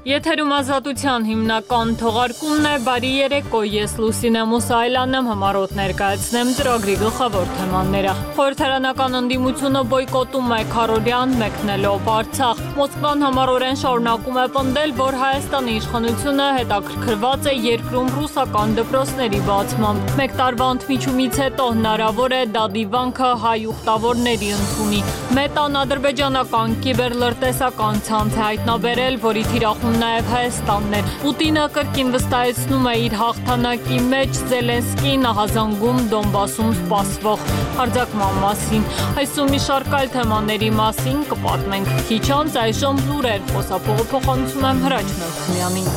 Եթերում ազատության հիմնական թողարկումն է, բարի երեկո, ես Լուսինե Մուսայելյանն եմ, համառոտ ներկայացնեմ ծրագրի գլխավոր թեմաները։ Խորհրդարանական ընդդիմությունը բոյկոտում է քարոզիան մեկնելով Արցախ։ Մոսկվան համառորեն շարունակում է պնդել, որ Հայաստանի իշխանությունը հետաքրքրված է երկրում ռուսական դպրոցների բացմամբ։ Մեկ տարվա ընդմիջումից հետո հնարավոր է դա դիվանքը հայ ուխտավորների ընդունի։ Մետան ադրբեջանական կիբերլրտեսական ցանց է հայտնաբերել, որի թիրախում նաև Հայաստանն է։ Պուտինը կրկին վստահեցնում է իր հաղթանակի մեջ, Զելենսկին ահազանգում Դոնբասում սպասվող հարձակման մասին։ Այսօր մի շարք այլ թեմաների մասին կպատմենք քիչ անց, այժմ լուրեր, խոսափողը փոխանցում եմ Հրաչ Մելքումյանին։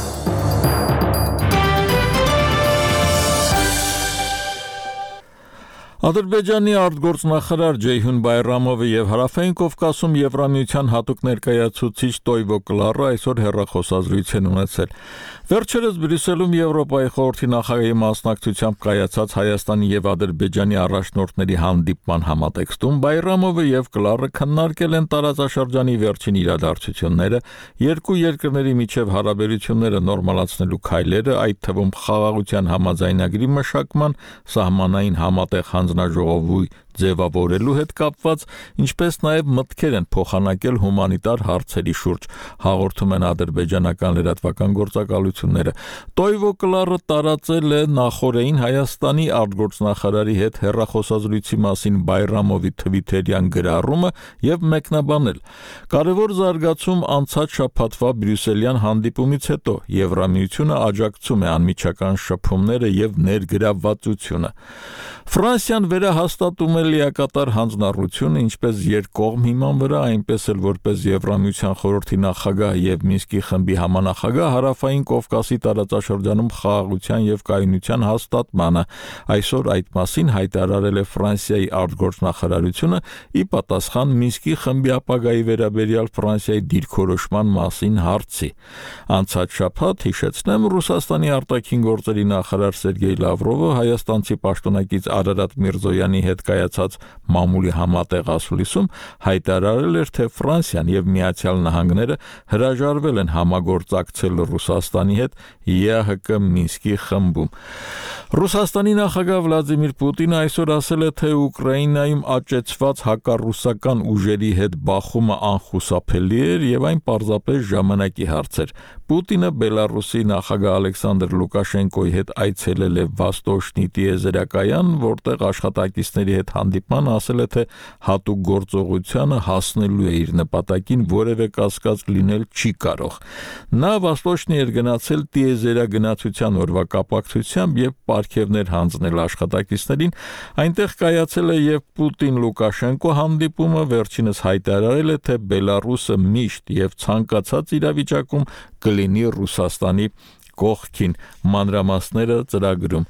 Ադրբեջանի արտգործնախարար Ջեյհուն Բայրամովը եւ Հարավային Կովկասում Եվրամիության հատուկ ներկայացուցիչ Տոյվո Կլարը այսօր հեռախոսազրույց են ունեցել։ Վերջերս Բրյուսելում Եվրոպայի խորհրդի նախագահի մասնակցությամբ կայացած Հայաստանի եւ Ադրբեջանի առաջնորդների հանդիպման համատեքստում Բայրամովը եւ Կլարը քննարկել են տարածաշրջանի վերջին իրադարձությունները, երկու երկրների միջև հարաբերությունները նորմալացնելու քայլերը, այդ թվում խաղաղության համաձայնագրի մշակման, սահմանային համատեղ հանձնաժողովի ձևավորելու հետ կապված, ինչպես նաև մտքեր են փոխանակել հումանիտար հարցերի շուրջ, հաղորդում են ադրբեջանական լրատվական գործակալությունները։ Տոյվո Կլարը տարածել է նախորդին Հայաստանի արտգործնախարարի հետ հեռախոսազրույցի մասին Բայրամովի թվիթերյան գրառումը եւ մեկնաբանել. Կարևոր զարգացում անցած շաբաթվա բրյուսելյան հանդիպումից հետո Եվրամիությունը աջակցում է անմիջական շփումները եւ ներգրավվածությունը։ Ֆրանսիան վերահաստատում է լիակատար հանձնառությունը ինչպես երկկողմ հիման վրա, այնպես էլ որպես Եվրամիության խորհրդի նախագահ եւ Մինսկի խմբի համանախագահ Հարավային Կովկասի տարածաշրջանում խաղաղության եւ կայունության հաստատմանը։ Այսօր այդ մասին հայտարարել է Ֆրանսիայի արտգործնախարարությունը ի պատասխան Մինսկի խմբի ապագայի վերաբերյալ Ֆրանսիայի դիրքորոշման մասին հարցի։ Անցած շաբաթ, հիշեցնեմ, Ռուսաստանի արտաքին գործերի նախարար Սերգեյ Լավրովը հայաստանցի պաշտոնակից Արարատ Միրզոյանի հետ կայացած մամուլի համատեղ ասուլիսում հայտարարել էր, թե Ֆրանսիան եւ Միացյալ Նահանգները հրաժարվել են համագործակցել Ռուսաստանի հետ ԵԱՀԿ Մինսկի խմբում։ Ռուսաստանի նախագահ Վլադիմիր Պուտինը այսօր ասել է, թե Ուկրաինայում աճեցված հակառուսական ուժերի հետ բախումը անխուսափելի էր եւ այն պարզապես ժամանակի հարց էր։ Պուտինը Բելարուսի նախագահ Ալեքսանդր Լուկաշենկոյի հետ այցելել է Վաստոշնի տիեզերակայան, որտեղ աշխատակիցների հետ հանդիպման ասել է, թե հատուկ գործողությանը հասնելու է իր նպատակին, որևէ կասկած լինել չի կարող։ Նա Վաստոշնի էր գնացել տիեզերագնացության օրվա կապակցությամբ եւ պարգևներ հանձնել աշխատակիցներին, այնտեղ կայացել է եւ Պուտին-Լուկաշենկո հանդիպումը, վերջինս հայտարարել է, թե Բելարուսը միշտ եւ ցանկացած իրավիճակում կլինի Ռուսաստանի կողքին, մանրամասները ծրագրում։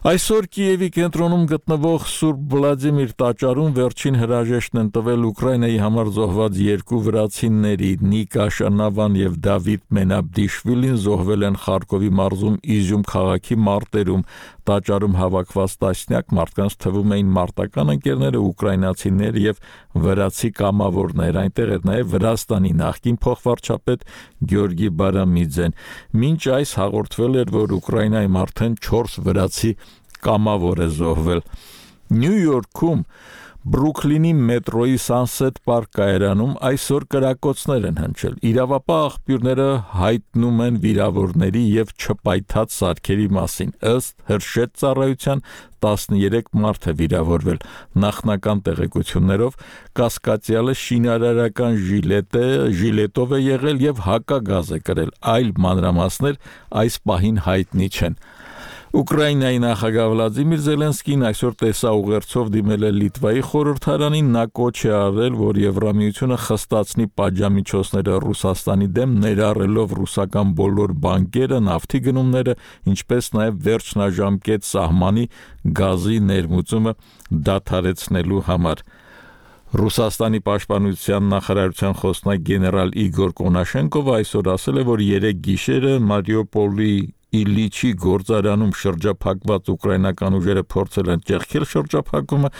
Այսօր Կիևի կենտրոնում գտնվող Սուրբ Վլադիմիր տաճարում վերջին հրաժեշտն են տվել Ուկրաինայի համար զոհված երկու վրացիների՝ Նիկա Շանավան եւ Դավիթ Մենաբդիշվիլին զոհվել են Խարկովի մարզում Իզյում քաղաքի մարտերում։ Տաճարում հավաքված տասնյակ մարդկանց թվում էին մարտական ընկերները, ուկրաինացիներ եւ վրացի կամավորներ, այնտեղ էր նաեւ Վրաստանի նախկին փոխվարչապետ Գյորգի Բարամիձեն։ Մինչ այս հաղորդվել էր, որ Ուկրաինայում արդեն 4 վրացի կամավոր է զոհվել։ Նյու Յորքում Բրուքլինի մետրոյի Sunset Park կայարանում այսօր կրակոցներ են հնչել։ Իրավապահ աղբյուրները հայտնում են վիրավորների եւ չպայթած սարքերի մասին։ Ըստ հրշեջ ծառայության 13 մարդ է վիրավորվել։ Նախնական տեղեկություններով կասկածյալը շինարարական ժիլետով է եղել եւ հակագազ է կրել։ Այլ մանրամասներ այս պահին հայտնի չեն։ Ուկրաինայի նախագահ Վլադիմիր Զելենսկին այսօր տեսաուղերձով դիմել է Լիտվայի խորհրդարանին, նա կոչ է արել, որ Եվրամիությունը խստացնի պատժամիջոցները Ռուսաստանի դեմ, ներառելով ռուսական բոլոր բանկերը, նավթի գնումները, ինչպես նաև վերջնաժամկետ սահմանի գազի ներմուծումը դադարեցնելու համար։ Ռուսաստանի պաշտպանության նախարարության խոսնակ գեներալ Իգոր Կոնաշենկովը այսօր ասել է, որ 3 գիշերը Մարիուպոլի Իլիչի գործարանում շրջափակված ուկրաինական ուժերը փորձել են ճեղքել շրջափակումը,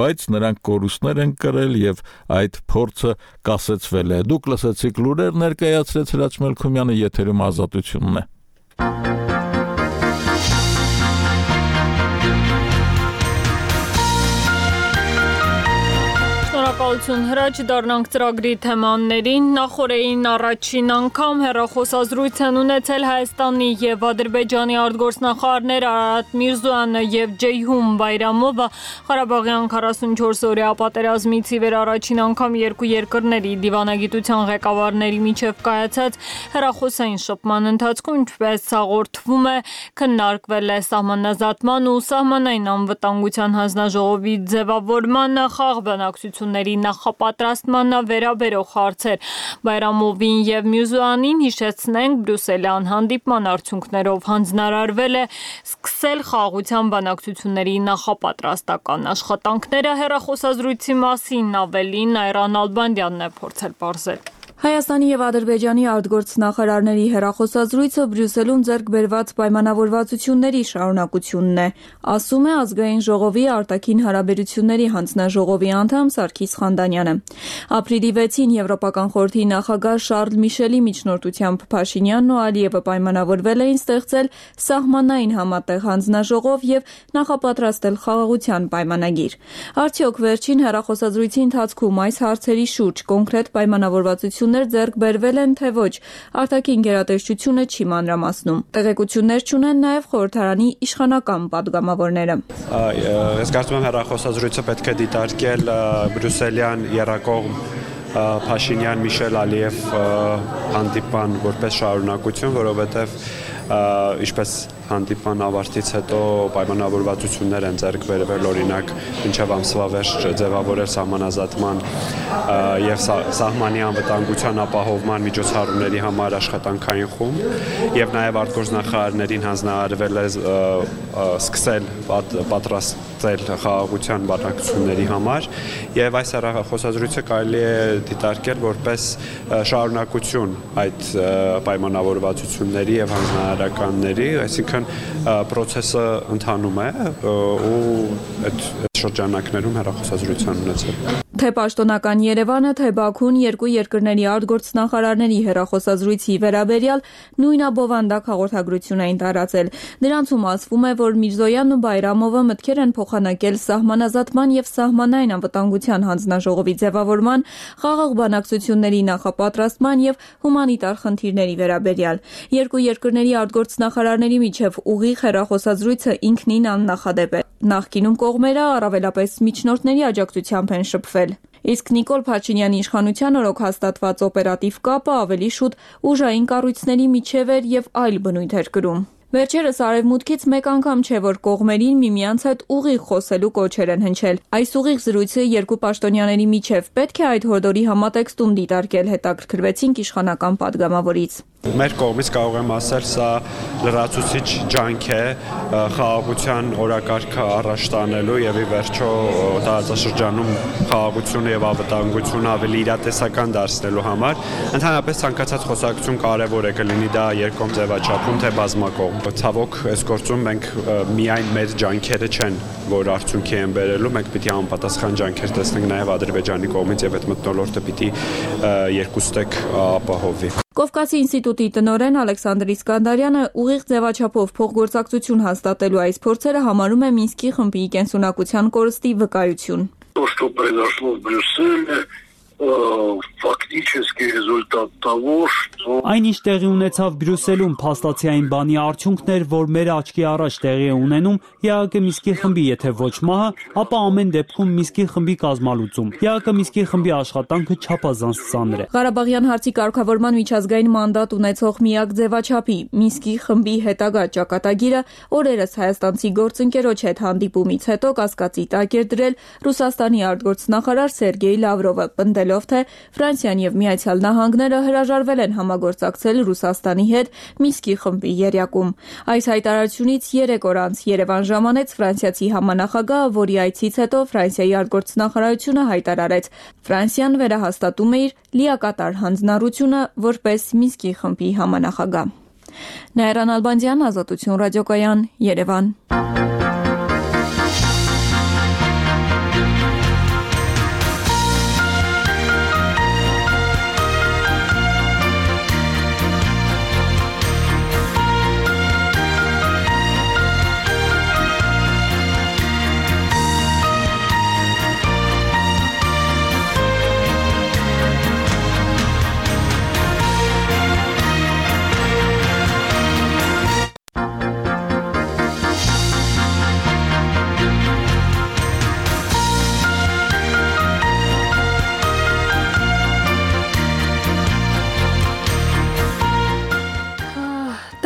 բայց նրանք կորուստներ են կրել եւ այդ փորձը կասեցվել է։ Դուք լսեցիք լուրեր, ներկայացրեց Հրաչ Մելքումյանը, եթերում Ազատությունն է։ Շնորհակալություն Հրաչ, դառնանք ծրագրի թեմաներին։ Նախորդին առաջին անգամ հեռախոսազրույց են ունեցել Հայաստանի եւ Ադրբեջանի արտգործնախարարներ Արարատ Միրզոյանը եւ Ջեյհուն Բայրամովը Ղարաբաղյան 44-օրյա պատերազմից ի վեր առաջին անգամ երկու երկրների դիվանագիտության ղեկավարների միջև կայացած հեռախոսային շփման ընթացքում, ինչպես հաղորդվում է, քննարկվել է սահմանազատման ու սահմանային անվտանգության հանձնաժողովի ձևավորման խաղ բանակցությունների նախապատրաստմանը վերաբերող հարցեր։ Բայրամովին եւ Միրզոյանին հիշեցնենք, Բրյուսելյան հանդիպման արդյունքներով հանձնարարվել է սկսել խաղաղության բանակցությունների նախապատրաստական աշխատանքները։ Հեռախոսազրույցի մասին ավելին Այրան Ալբանդյանն է փորձել պարզել։ Հայաստանի եւ Ադրբեջանի արտգործնախարարների հեռախոսազրույցը Բրյուսելում ձեռք բերված պայմանավորվածությունների շարունակությունն է, ասում է Ազգային ժողովի արտաքին հարաբերությունների հանձնաժողովի անդամ Սարգիս Խանդանյանը։ Ապրիլի 6-ին Եվրոպական խորհրդի նախագահ Շարլ Միշելի միջնորդությամբ Փաշինյանն ու Ալիևը պայմանավորվել էին ստեղծել սահմանային համատեղ հանձնաժողով եւ նախապատրաստել խաղաղության պայմանագիր։ Արդյոք վերջին հեռախոսազրույցի ընթացքում այս հարցերի շուրջ կոնկրետ պայմանավորվածություն ձեռք բերվել են, թե ոչ, արտաքին գերատեսչությունը չի մանրամասնում։ Տեղեկություններ չունեն նաև խորհրդարանի իշխանական պատգամավորները։ Ես կարծում եմ հեռախոսազրույցը պետք է դիտարկել բրյուսելյան եռակողմ Փաշինյան Միշել Ալիև հանդիպան որպես շարունակություն, որովհետև ինչպես հանդիպման ավարտից հետո պայմանավորվածություններ են ձեռք բերվել, օրինակ մինչև ամսվա վերջ ձևավորել սահմանազատման եւ սահմանի անվտանգության ապահովման միջոցառումների համար աշխատանքային խումբ եւ նաեւ արտգործնախարարներին հանձնարարվել է սկսել պատրաստել խաղաղության բանակցությունների համար եւ այս հեռախոսազրույցը կարելի է դիտարկել որպես շարունակություն այդ պայմանավորվածությունների եւ հանձնարարականների, այսինքն պրոցեսը ընթանում է ու այդ շրջանակներում հեռախոսազրույցան ունեցել։ Թե պաշտոնական Երևանը, թե Բաքուն երկու երկրների արտգործնախարարների հեռախոսազրույցի վերաբերյալ նույնաբովանդակ հաղորդագրություն էին տարածել։ Դրանցում ասվում է, որ Միրզոյանն ու Բայրամովը մտքեր են փոխանակել սահմանազատման եւ սահմանային անվտանգության հանձնաժողովի ձևավորման, խաղաղ բանակցությունների նախապատրաստման եւ հումանիտար խնդիրների վերաբերյալ։ Երկու երկրների արտգործնախարարների միջև ուղիղ հեռախոսազրույցը ինքնին աննախադեպ է։ Նախկինում կողմերը առավելապես միջնորդների աջակցությամբ են շփվել։ Իսկ Նիկոլ Փաշինյանի իշխանության օրոք հաստատված օպերատիվ կապը ավելի շուտ ուժային կառույցների միջև էր եւ այլ բնույթ էր կրում։ Վերջերս արևմուտքից մեկ անգամ չէ, որ կողմերին միմյանց հետ ուղիղ խոսելու կոչեր են հնչել։ Այս ուղիղ զրույցը երկու պաշտոնյաների միջև պետք է այդ հորդորի համատեքստում դիտարկել, հետաքրքրվեցինք իշխանական պատգամավորից։ Մեր կողմից կարող եմ ասել, սա լրացուցիչ ջանք է խաղաղության օրակարգը առաջ տանելու եւ ի վերջո տարածաշրջանում խաղաղությունը եւ անվտանգությունը ավելի իրատեսական դարձնելու համար։ Ընդհանրապես ցանկացած խոսակցություն կարեւոր է կլինի դա երկկողմ ձևաչափում թե բազմակողմ։ Ցավոք, այս գործում մենք միայն մեր ջանքերը չեն, որ արդյունքի են բերելու, մենք պիտի անպատասխան ջանքեր տեսնենք նաեւ Ադրբեջանի կողմից եւ այդ մթնոլորտը պիտի երկուստեք ապահովվի։ Կովկասի ինստիտուտի տնօրեն Ալեքսանդր Իսկանդարյանը ուղիղ ձևաչափով փոխգործակցություն հաստատելու այս փորձերը համարում է Մինսկի խմբի կենսունակության կորստի վկայություն։ То, что произошло в Брюсселе, фактически результат того, что Այն ինչ տեղի ունեցավ Բրյուսելում փաստացի այն բանի արդյունքն էր, որ մեր աչքի առաջ տեղի է ունենում ԵԱՀԿ Մինսկի խմբի եթե ոչ մահը, ապա ամեն դեպքում Մինսկի խմբի կազմալուծում։ ԵԱՀԿ Մինսկի խմբի աշխատանքը չափազանց ծանր է։ Ղարաբաղյան հարցի կարգավորման միջազգային մանդատ ունեցող միակ ձևաչափի Մինսկի խմբի հետագա ճակատագիրը օրերս հայաստանցի գործընկերոջ հետ հանդիպումից հետո կասկածի տակ էր դրել Ռուսաստանի արտգործնախարար Սերգեյ Լավրովը, պնդելով, թե Ֆրանսիան եւ Միացյալ Նահանգները հրաժարվել են համագործակցել Ռուսաստանի հետ Մինսկի խմբի եռյակում։ Այս հայտարարությունից 3 օր անց Երևան ժամանեց ֆրանսիացի համանախագահը, որի այցից հետո Ֆրանսիայի արտգործնախարարությունը հայտարարեց. Ֆրանսիան վերահաստատում է իր լիակատար հանձնառությունը որպես Մինսկի խմբի համանախագահ։ Նաիրան Ալբանդյան, Ազատություն ռադիոկայան, Երևան։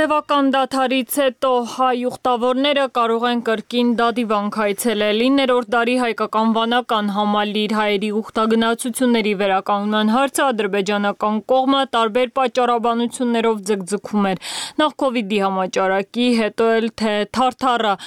Տևական դադարից հետո հայ ուխտավորները կարող են կրկին դադիվանք այցելել։ 9-րդ դարի հայկական վանական համալիր հայերի ուխտագնացությունների վերականգնման հարցը ադրբեջանական կողմը տարբեր պատճառաբանություններով ձգձգում էր։ Նախ Կովիդի համաճարակի, հետո էլ թե Թարթարը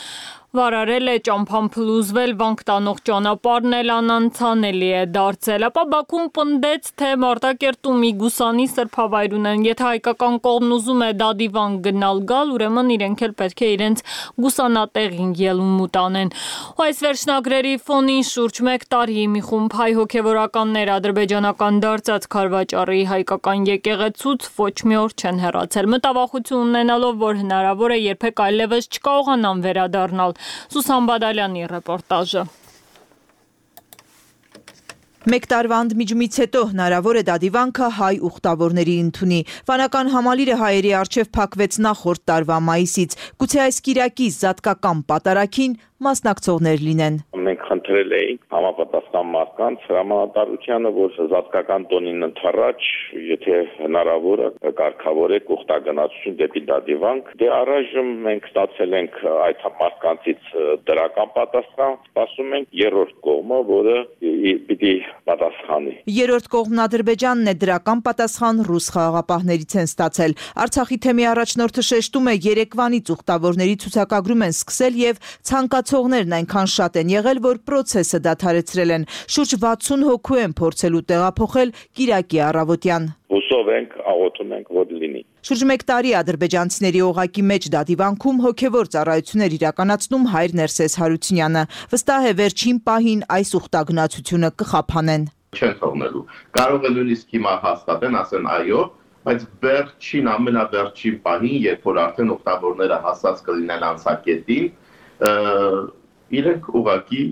վարարել է ճամփան փլուզվել, վանք տանող ճանապարհն էլ անանցանելի է դարձել, ապա Բաքուն պնդեց, թե Մարտակերտում Իգուսանի սրբավայր ունեն, եթե հայկական կողմն ուզում է դադիվան գնալ գալ, ուրեմն իրենք էլ պետք է իրենց գուսանատեղին ելումուտ անեն։ Ու այս վերջնագրերի ֆոնին շուրջ 1 տարի մի խումբ հայ հոգևորականներ ադրբեջանական դարձած Քարվաճառի հայկական եկեղեցուց ոչ մի օր չեն հեռացել, մտավախություն ունենալով, որ հնարավոր է երբեք այլևս չկարողանան վերադառնալ։ Սուսան Բադալյանի ռեպորտաժը։ 1 տարվա ընդմիջումից հետո հնարավոր է դադիվանքը հայ ուխտավորների ընդունի։ Վանական համալիրը հայերի առջև փակվեց նախորդ տարվա մայիսից։ Գուցե այս կիրակի զատկական պատարագին մասնակցողներ լինեն։ Մենք խնդրել էինք համապատասխան մարդկանց հրամանատարությանը, որ զատկական տոնին ընդառաջ, եթե հնարավոր է կարգավորեք ուխտագնացություն դեպի դադիվանք։ Դե առայժմ մենք ստացել ենք այդ մարդկանցից դրական պատասխան, սպասում ենք երրորդ կողմը, որը պիտի պատասխանի։ Երրորդ կողմն Ադրբեջանն է, դրական պատասխան ռուս խաղաղապահներից են ստացել։ Արցախի թեմի առաջնորդը շեշտում է, երեկվանից ուխտավորների ցուցակագրում են սկսել եւ ցանկացողներն այնքան շատ են եղել, որ պրոցեսը դադարեցրել են։ Շուրջ 60 հոգու են փորձելու տեղափոխել կիրակի առավոտյան։ Հուսով ենք, աղոթում ենք, որ լինի։ Շուրջ 1 տարի ադրբեջանցիների օղակի մեջ դադիվանքում հոգևոր ծառայություններ իրականացնում հայր Ներսես Հարությունյանը։ Վստահ է, վերջին պահին այս ուխտագնացությունը կխափանեն։ Չեն թողնելու։ Կարող է նույնիսկ հիմա հաստատեն, ասեն այո, բայց վերջին ամենավերջին պահին, երբ որ արդեն ուխտավորները հասած կլինեն անցակետին, իրենք ուղղակի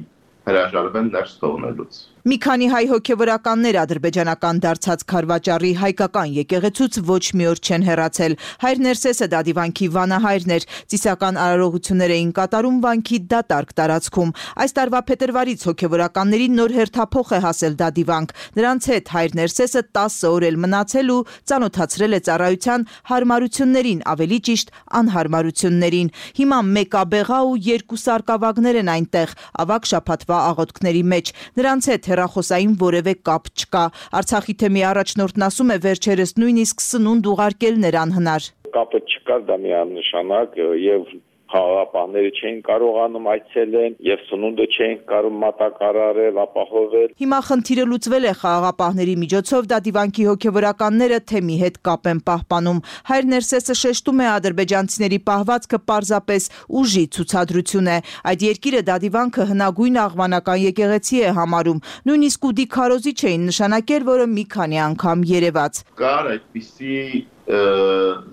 հրաժարվեն ներս թողնելուց։ Մի քանի հայ հոգևորականներ ադրբեջանական դարձած Քարվաճառի հայկական եկեղեցուց ոչ մի օր չեն հեռացել։ Հայր Ներսեսը դադիվանքի վանահայրն էր, ծիսական արարողություններ էին կատարում վանքի դատարկ տարածքում։ Այս տարվա փետրվարից հոգևորականներին նոր հերթափոխ է հասել դադիվանք։ Նրանց հետ հայր Ներսեսը 10 օր էլ մնացել ու ծանոթացրել է ծառայության հարմարություններին, ավելի ճիշտ անհարմարություններին։ Հիմա 1 աբեղա ու 2 սարկավագներ են այնտեղ, ավագ շաբաթվա աղոթքների մեջ։ Նրանց հետ հեռախոսային որևէ կապ չկա։ Արցախի թեմի առաջնորդն ասում է, վերջերս նույնիսկ սնունդ ուղարկելն էր անհնար։ Կապը չկար, դա միանշանակ եւ խաղաղապահները չէին կարողանում այցելեն եւ սնունդը չէին կարող մատակարարել, ապահովել։ Հիմա խնդիրը լուծվել է խաղաղապահների միջոցով, դադիվանքի հոգևորականները թեմի հետ կապ են պահպանում։ Հայր Ներսեսը շեշտում է, ադրբեջանցիների պահվածքը պարզապես ուժի ցուցադրություն է։ Այդ երկիրը դադիվանքը հնագույն աղվանական եկեղեցի է համարում։ Նույնիսկ ուդի քարոզիչ էին նշանակել, որը մի քանի անգամ երևաց։ Կար այդպիսի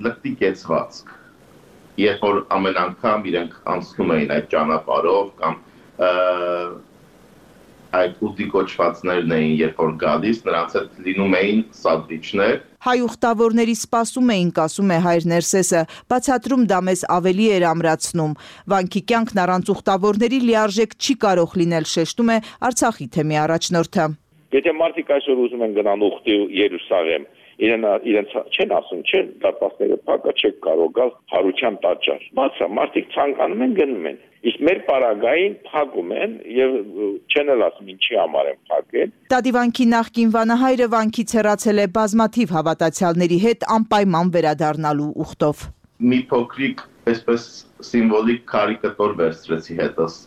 լկտի կեցվածք, երբ որ ամեն անգամ իրենք անցնում էին այդ ճանապարհով կամ այդ ուտի կոչվածներն էին, երբ որ գալիս, նրանց հետ լինում էին սանդվիչներ։ Հայ ուխտավորների սպասում էինք, ասում է հայր Ներսեսը, բացատրում դա մեզ ավելի էր ամրացնում։ Վանքի կյանքն առանց ուխտավորների լիարժեք չի կարող լինել, շեշտում է Արցախի թեմի առաջնորդը։ Եթե մարդիկ այսօր ուզում են գնան ուխտի Երուսաղեմ, իրենց չեն ասում, չեն դատաստները փակա, չեք կարող գալ հարության տաճար։ Բացա, մարդիկ ցանկանում են գնում են։ Իսկ մեր պարագային փակում են եւ չեն էլ ասում ինչի համար են փակել։ Դադիվանքի նախկին վանահայրը վանքից հեռացել է բազմաթիվ հավատացյալների հետ անպայման վերադառնալու ուխտով։ Մի փոքրիկ այսպես սիմվոլիկ կարիկատուր վերցրեցի հետս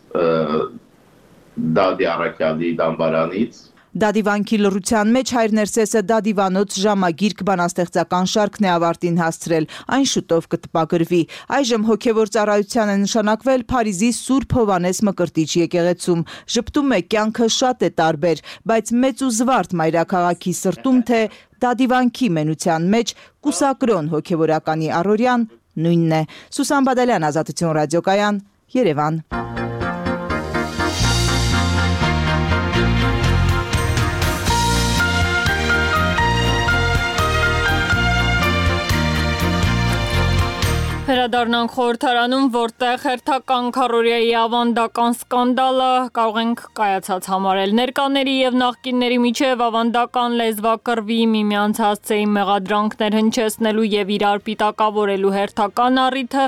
Դադի Արաքյալի դամբարանից։ Դադիվանքի լռության մեջ հայր Ներսեսը դադիվանոց ժամագիրք բանաստեղծական շարքն է ավարտին հասցրել, այն շուտով կտպագրվի։ Այժմ հոգևոր ծառայության է նշանակվել Փարիզի Սուրբ Հովհաննես Մկրտիչ եկեղեցում։ Ժպտում է կյանքը շատ է տարբեր, բայց մեծ ու զվարթ մայրաքաղաքի սրտում թե դադիվանքի մենության մեջ կուսակրոն հոգևորականի առօրյան նույնն է։ Սուսան Բադալյան, Ազատություն ռադիոկայան, Երևան։ Վերադառնանք խորհրդարանում, որտեղ հերթական քառորիայի ավանդական սկանդալը կարող ենք կայացած համարել։ Ներկաների եւ նախկինների միջև ավանդական լեզվակռվի, միմյանց հասցեին մեղադրանքներ հնչեցնելու եւ իրար պիտակավորելու հերթական առիթը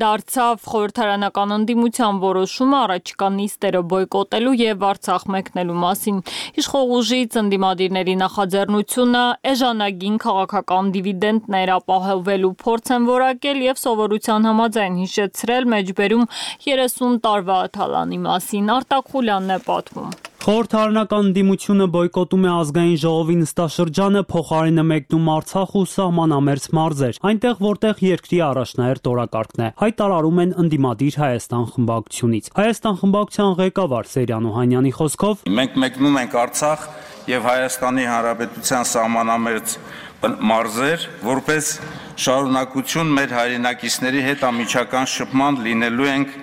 դարձավ խորհրդարանական ընդդիմության որոշումը առաջիկա նիստերը բոյկոտելու եւ Արցախ մեկնելու մասին։ Իշխող ուժից ընդդիմադիրների նախաձեռնությունը էժանագին քաղաքական դիվիդենտներ ապահովելու փորձ են որակել եւ սովորության համաձայն հիշեցրել մեջբերում 30 տարվա թալանի մասին։ Արտակ Խուլյանն է պատմում։ Խորհրդարանական ընդդիմությունը բոյկոտում է ազգային ժողովի նստաշրջանը, փոխարենը մեկնում Արցախ ու սահմանամերձ մարզեր, այնտեղ որտեղ երկրի առաջնահերթ օրակարգն է, հայտարարում են ընդդիմադիր Հայաստան խմբակցությունից։ Հայաստան խմբակցության ղեկավար Սերյան Օհանյանի խոսքով մենք մեկնում ենք Արցախ եւ Հայաստանի Հանրապետության սահմանամերձ մարզեր, որպես շարունակություն մեր հայրենակիցների հետ ամիջական շփման լինելու ենք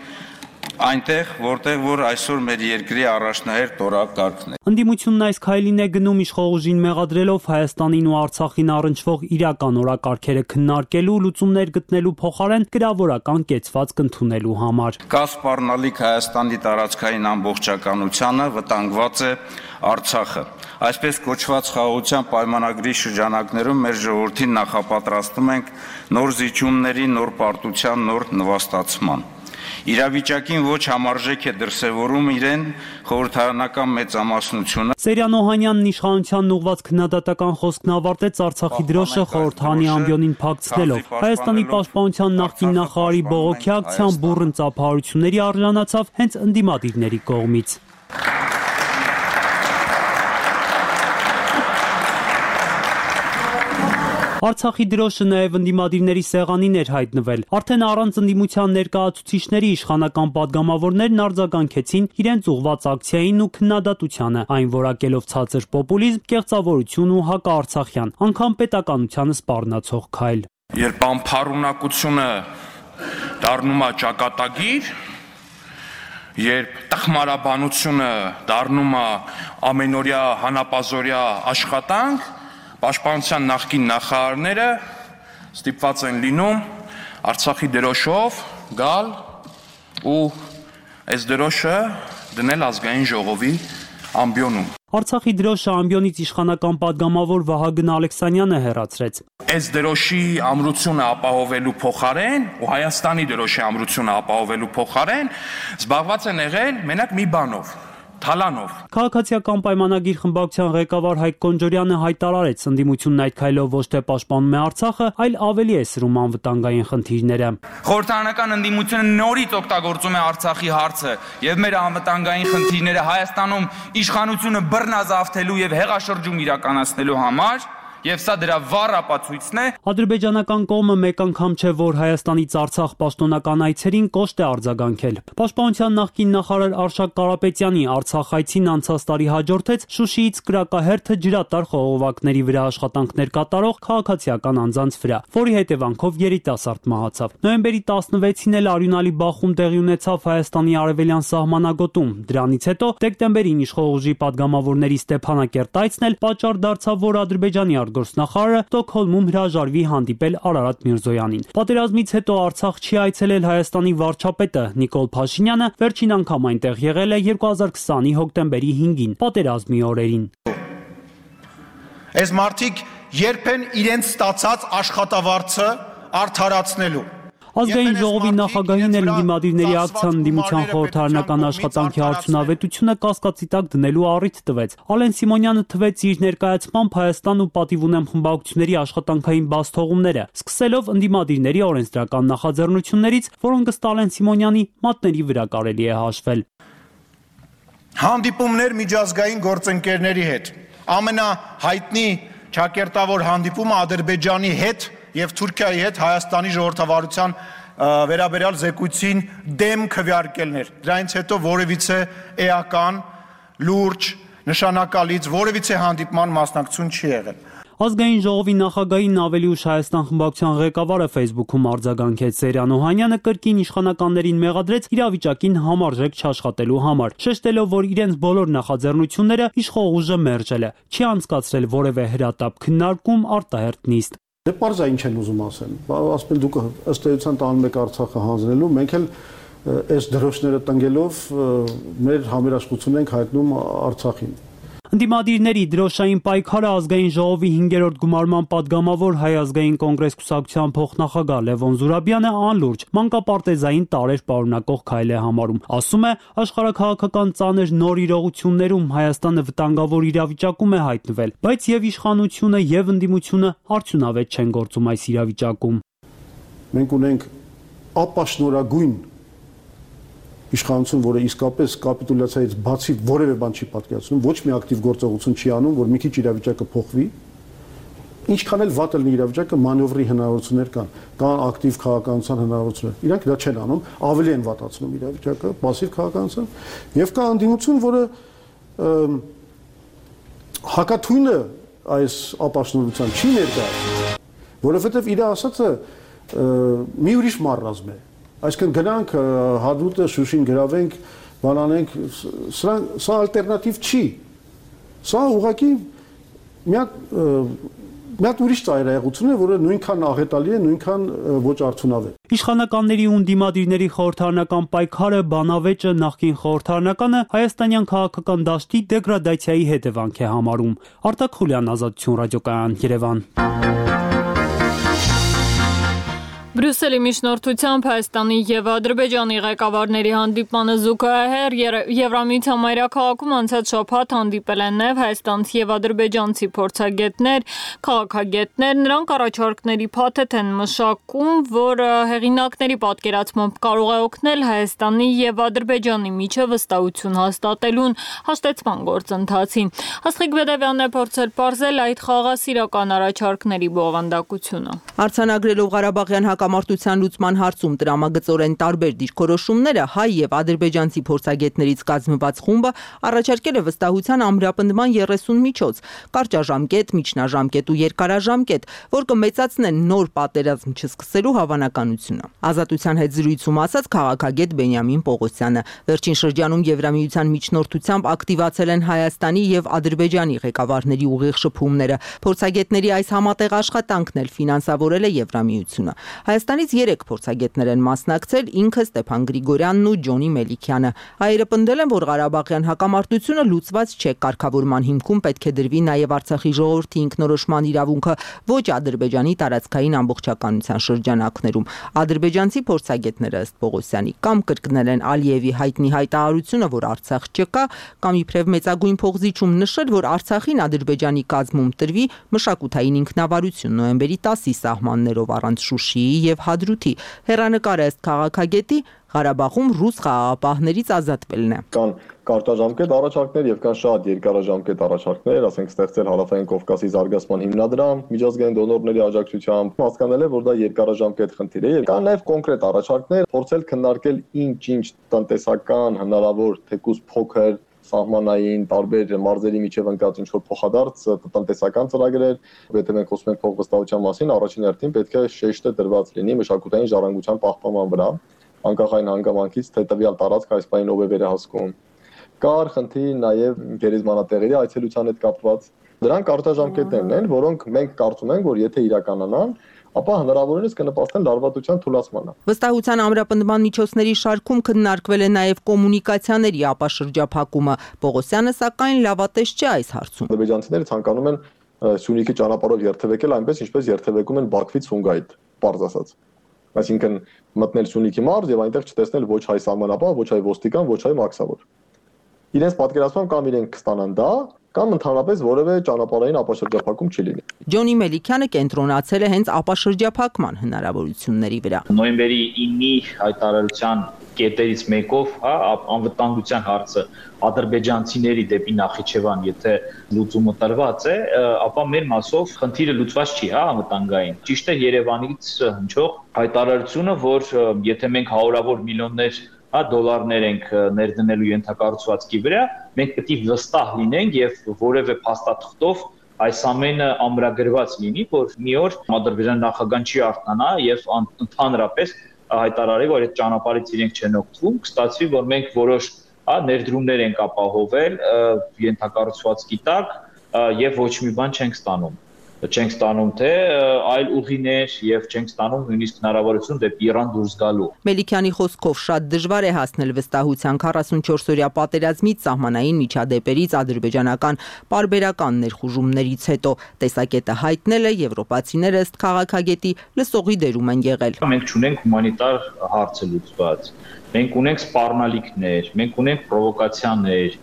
այնտեղ, որտեղ որ այսօր մեր երկրի առաջնահերթ օրակարգն է։ Ընդդիմությունն այս քայլին է գնում իշխող ուժին մեղադրելով Հայաստանին ու Արցախին առնչվող իրական օրակարգերը քննարկելու, լուծումներ գտնելու փոխարեն գրավորական կեցվածք ընդունելու համար։ Կա սպառնալիք Հայաստանի տարածքային ամբողջականությանը, վտանգված է Արցախը։ Այսպես կոչված խաղաղության պայմանագրի շրջանակներում մեր ժողովրդին նախապատրաստում ենք նոր զիջումների, նոր պարտության, նոր նվաստացման։ Իրավիճակին ոչ համարժեք է դրսևորում իրեն խորհրդարանական մեծամասնությունը։ Սերյան Օհանյանն իշխանությանն ուղղված քննադատական խոսքն ավարտեց Արցախի դրոշը խորհրդարանի ամբիոնին փակցնելով։ Հայաստանի պաշտպանության նախկին նախարարի բողոքի ակցիան բուռն ծափահարությունների արժանացավ հենց ընդդիմադիրների կողմից։ Արցախի դրոշը նաև ընդդիմադիրների սեղանին էր հայտնվել։ Արդեն առանց ընդդիմության ներկայացուցիչների իշխանական падգամավորներն արձագանքեցին իրենց ուղղված ակցիային ու քննադատությանը, այն որակելով ցածր պոպուլիզմ, կեղծավորություն ու հակաարցախյան, անգամ պետականությանը սպառնացող քայլ։ Երբ անփառունակությունը դառնում է ճակատագիր, երբ տխմարաբանությունը դառնում է ամենօրյա հանապազօրյա աշխատանք, Պաշտպանության նախկին նախարարները ստիպված են լինում Արցախի դրոշով գալ ու այս դրոշը դնել ազգային ժողովի ամբիոնում։ Արցախի դրոշը ամբիոնից իշխանական падգամավոր Վահագն Ալեքսանյանը հեռացրեց։ Այս դրոշի ամրությունը ապահովելու փոխարեն ու Հայաստանի դրոշի ամրությունը ապահովելու փոխարեն զբաղված են եղել մենակ մի բանով՝ թալանով։ Քաղաքացիական պայմանագիր խմբակցության ղեկավար Հայկ Կոնջորյանը հայտարարեց, ընդդիմությունն այդ քայլով ոչ թե պաշտպանում է Արցախը, այլ ավելի է սրում անվտանգային խնդիրները։ Խորհրդարանական ընդդիմությունը նորից օգտագործում է Արցախի հարցը եւ մեր անվտանգային խնդիրները Հայաստանում իշխանությունը բռնազավթելու եւ հեղաշրջում իրականացնելու համար։ Եվ սա դրա վառ ապացույցն է։ Ադրբեջանական կողմը մեկ անգամ չէ, որ Հայաստանից Արցախ պաշտոնական այցերին կոշտ է արձագանքել։ Պաշտպանության նախկին նախարար Արշակ Կարապետյանի Արցախ այցին անցած տարի հաջորդեց Շուշիից կրակահերթը ջրատար խողովակների վրա աշխատանքներ կատարող քաղաքացիական անձանց վրա, որի հետևանքով երիտասարդ մահացավ։ Նոյեմբերի 16-ին էլ արյունալի բախում տեղի ունեցավ Հայաստանի արևելյան սահմանագոտում։ Դրանից հետո դեկտեմբերին իշխող ուժի падգամավորների Ստեփանակերտ այցն էլ պատճառ դարձավ, որ Ադրբեջանի գործնախարարը Ստոկհոլմում հրաժարվի հանդիպել Արարատ Միրզոյանին։ Պատերազմից հետո Արցախ չի այցելել Հայաստանի վարչապետը Նիկոլ Փաշինյանը, վերջին անգամ այնտեղ եղել է 2020-ի հոկտեմբերի 5-ին, պատերազմի օրերին։ Այս մարդիկ երբ են իրենց ստացած աշխատավարձը արդարացնելու։ Ազգային ժողովի նախագահին էլ ընդդիմադիրների ակցիան ընդդիմության խորհրդարանական աշխատանքի արդյունավետությունը կասկածի տակ դնելու առիթ տվեց։ Ալեն Սիմոնյանը թվեց իր ներկայացմամբ Հայաստան ու պատիվ ունեմ խմբակցությունների աշխատանքային բացթողումները, սկսելով ընդդիմադիրների օրենսդրական նախաձեռնություններից, որոնք ըստ Ալեն Սիմոնյանի մատների վրա կարելի է հաշվել։ Հանդիպումներ միջազգային գործընկերների հետ։ Ամենահայտնի ճակերտավոր հանդիպումը Ադրբեջանի հետ եւ Թուրքիայի հետ Հայաստանի ժողովրդավարության վերաբերյալ զեկույցին դեմ քվեարկելներ։ Դրանից հետո որևիցե էական, լուրջ, նշանակալից որևիցե հանդիպման մասնակցություն չի եղել։ Ազգային ժողովի նախագահին ավելի ուշ Հայաստան խմբակցության ղեկավարը Facebook-ում արձագանքեց Սերյան Օհանյանը կրկին իշխանականներին մեղադրեց իրավիճակին համարժեք չաշխատելու համար, շեշտելով, որ իրենց բոլոր նախաձեռնությունները իշխող ուժը մերժել է, չի անցկացրել որևէ հրատապ քննարկում, արտահերթ նիստ։ Դե պարզ է ինչ են ուզում ասել։ Ասում դուք ըստ էության տանում եք Արցախը հանձնելու, մենք էլ այս դրոշները տնկելով մեր համերաշխությունը ենք հայտնում Արցախին։ Ընդդիմադիրների դրոշային պայքարը ազգային ժողովի 5-րդ գումարման падգամավոր Հայ ազգային կոնգրես կուսակցության փոխնախագահ Լևոն Զուրաբյանը անլուրջ մանկապարտեզային տարեր պարունակող քայլ է համարում։ Ասում է, աշխարհաքաղաքական ծանր նոր իրողություններում Հայաստանը վտանգավոր իրավիճակում է հայտնվել, բայց եւ իշխանությունը եւ ընդդիմությունը արդյունավետ չեն գործում այս իրավիճակում։ Մենք ունենք ապաշնորհագույն իշխանություն, որը իսկապես կապիտուլյացիայից բացի որևէ բան չի պատկերացնում, ոչ մի ակտիվ գործողություն չի անում, որ մի քիչ իրավիճակը փոխվի։ Ինչքան էլ վատ լինի իրավիճակը, մանևրի հնարավորություններ կան ակտիվ քաղաքականության հնարավորություններ։ Իրանք դա չեն անում, ավելի են վատացնում իրավիճակը, пассив քաղաքականության, եւ կա անդիմություն, որը հակաթույնը այս ապաշնորհության չի ներկայացնում, որովհետեւ իր ասածը մի ուրիշ մարզազմ է։ Այսինքն գնանք Հադրութը, Շուշին գրավենք, բանանենք, սա ալտերնատիվ չի։ Սա ուղղակի մի հատ ուրիշ ծայրահեղություն է, որը նույնքան աղետալի է, նույնքան ոչ արդյունավետ։ Իշխանականների ու ընդդիմադիրների խորհրդարանական պայքարը, բանավեճը, նախկին խորհրդարանականը հայաստանյան քաղաքական դաշտի դեգրադացիայի հետևանք է համարում։ Արտակ Խուլյան, Ազատություն ռադիոկայան, Երևան։ Բրյուսելի միջնորդությամբ Հայաստանի եւ Ադրբեջանի ղեկավարների հանդիպմանը զուգահեռ Եվրամիության մայրաքաղաքում անցած շաբաթ հանդիպել են նաեւ հայաստանցի եւ ադրբեջանցի փորձագետներ, քաղաքագետներ, նրանք առաջարկների փաթեթ են մշակում, որ հեղինակների պատկերացմամբ կարող է օգնել Հայաստանի եւ Ադրբեջանի միջև վստահություն հաստատելուն հաշտեցման գործընթացին։ Աստղիկ Բեդևյանն է փորձել պարզել այդ խաղաղասիրական առաջարկների բովանդակությունը։ Արձանագրելով Ղարաբաղյան հակամարտության լուծման հարցում տրամագծորեն տարբեր դիրքորոշումները հայ եւ ադրբեջանցի փորձագետներից կազմված խումբը առաջարկել է վստահության ամրապնդման 30 միջոց՝ կարճաժամկետ, միջնաժամկետ ու երկարաժամկետ, որ կմեծացնեն նոր պատերազմ չսկսելու հավանականությունը։ Ազատության հետ զրույցում ասաց քաղաքագետ Բենյամին Պողոսյանը, վերջին շրջանում Եվրամիության միջնորդությամբ ակտիվացել են Հայաստանի եւ Ադրբեջանի ղեկավարների ուղիղ շփումները։ Փորձագետների այս համատեղ աշխատանքն էլ ֆինանսավորել է Եվրամիությունը։ Հայաստանից 3 փորձագետներ են մասնակցել, ինքը Ստեփան Գրիգորյանն ու Ջոնի Մելիքյանը։ Հայերը պնդել են, որ Ղարաբաղյան հակամարտությունը լուծված չէ, կարգավորման հիմքում պետք է դրվի նաև Արցախի ժողովրդի ինքնորոշման իրավունքը, ոչ Ադրբեջանի տարածքային ամբողջականության շրջանակներում։ Ադրբեջանցի փորձագետները ըստ Պողոսյանի կամ կրկնել են Ալիևի հայտնի հայտարարությունը, որ Արցախ չկա, կամ իբրև մեծագույն փողզիչում նշել, որ Արցախին Ադրբեջանի կազմում տրվի մշակութային ինքնավարություն նոյեմբերի 10-ի սահմաններով առանց Շուշիի եւ Հադրութի։ Հեռանկարը ըստ քաղաքագետի Ղարաբաղում ռուս խաղաղապահներից ազատվելն է։ Կան կարճաժամկետ առաջարկներ եւ կան շատ երկարաժամկետ առաջարկներ, ասենք ստեղծել Հարավային Կովկասի զարգացման հիմնադրամ, միջազգային դոնորների աջակցությամբ, հասկանալ է, որ դա երկարաժամկետ խնդիր է։ Կան նաեւ կոնկրետ առաջարկներ, փորձել քննարկել ինչ տնտեսական հնարավոր թեկուզ փոքր սահմանային տարբեր մարզերի միջև ընկած ինչ-որ փոխադարձ տնտեսական ծրագրեր, եթե մենք խոսում ենք փոխվստահության մասին, առաջին հերթին պետք է շեշտը դրված լինի մշակութային ժառանգության պահպանման վրա, անկախ այն հանգամանքից, թե տվյալ տարածք այս պահին ով է վերահսկում։ Կար խնդիր նաև գերեզմանատեղերի այցելության հետ կապված։ Դրանք կարճաժամկետներն են, որոնք մենք կարծում ենք, որ եթե իրականանան, ապա հնարավորինս կնպաստեն լարվածության թուլացմանը։ Վստահության ամրապնդման միջոցների շարքում քննարկվել է նաև կոմունիկացիաների ապաշրջափակումը։ Պողոսյանը սակայն լավատես չէ այս հարցում։ Ադրբեջանցիները ցանկանում են Սյունիքի ճանապարհով երթևեկել այնպես, ինչպես երթևեկում են Բաքվից Սումգայիթ, պարզ ասած։ Այսինքն մտնել Սյունիքի մարզ եւ այնտեղ չտեսնել ոչ հայ սահմանապահ, ոչ հայ ոստիկան, ոչ հայ մաքսավոր։ Իրենց պատկերացմամբ կամ իրենք կստանան դա, կամ ընդհանրապես որևէ ճանապարհային ապաշրջափակում չի լինի։ Ջոնի Մելիքյանը կենտրոնացել է հենց ապաշրջափակման հնարավորությունների վրա։ Նոյեմբերի 9-ի հայտարարության կետերից մեկով, անվտանգության հարցը ադրբեջանցիների դեպի Նախիջևան, եթե լուծումը տրված է, ապա մեր մասով խնդիրը լուծված չի, անվտանգային։ Ճիշտ է Երևանից հնչող հայտարարությունը, որ եթե մենք հարյուրավոր միլիոններ դոլարներ ենք ներդնելու ենթակառուցվածքի վրա, մենք պետք է վստահ լինենք եւ որևէ փաստաթղթով այս ամենը ամրագրված լինի, որ մի օր Ադրբեջան նախագահան չի արթնանա եւ ընդհանրապես հայտարարի, որ այդ ճանապարհից իրենք չեն օգտվում, կստացվի, որ մենք որոշ ներդրումներ ենք ապահովել ենթակառուցվածքի տակ եւ ոչ մի բան չենք ստանում թե այլ ուղիներ եւ չենք ստանում նույնիսկ հնարավորություն դեպի Իրան դուրս գալու։ Մելիքյանի խոսքով շատ դժվար է հասնել վստահության 44-օրյա պատերազմից սահմանային միջադեպերից ադրբեջանական պարբերական ներխուժումներից հետո տեսակետը հայտնել է եվրոպացիները ըստ քաղաքագետի լսողի դերում են եղել։ Մենք չունենք հումանիտար հարցը լուծված։ Մենք ունենք սպառնալիքներ, մենք ունենք պրովոկացիաներ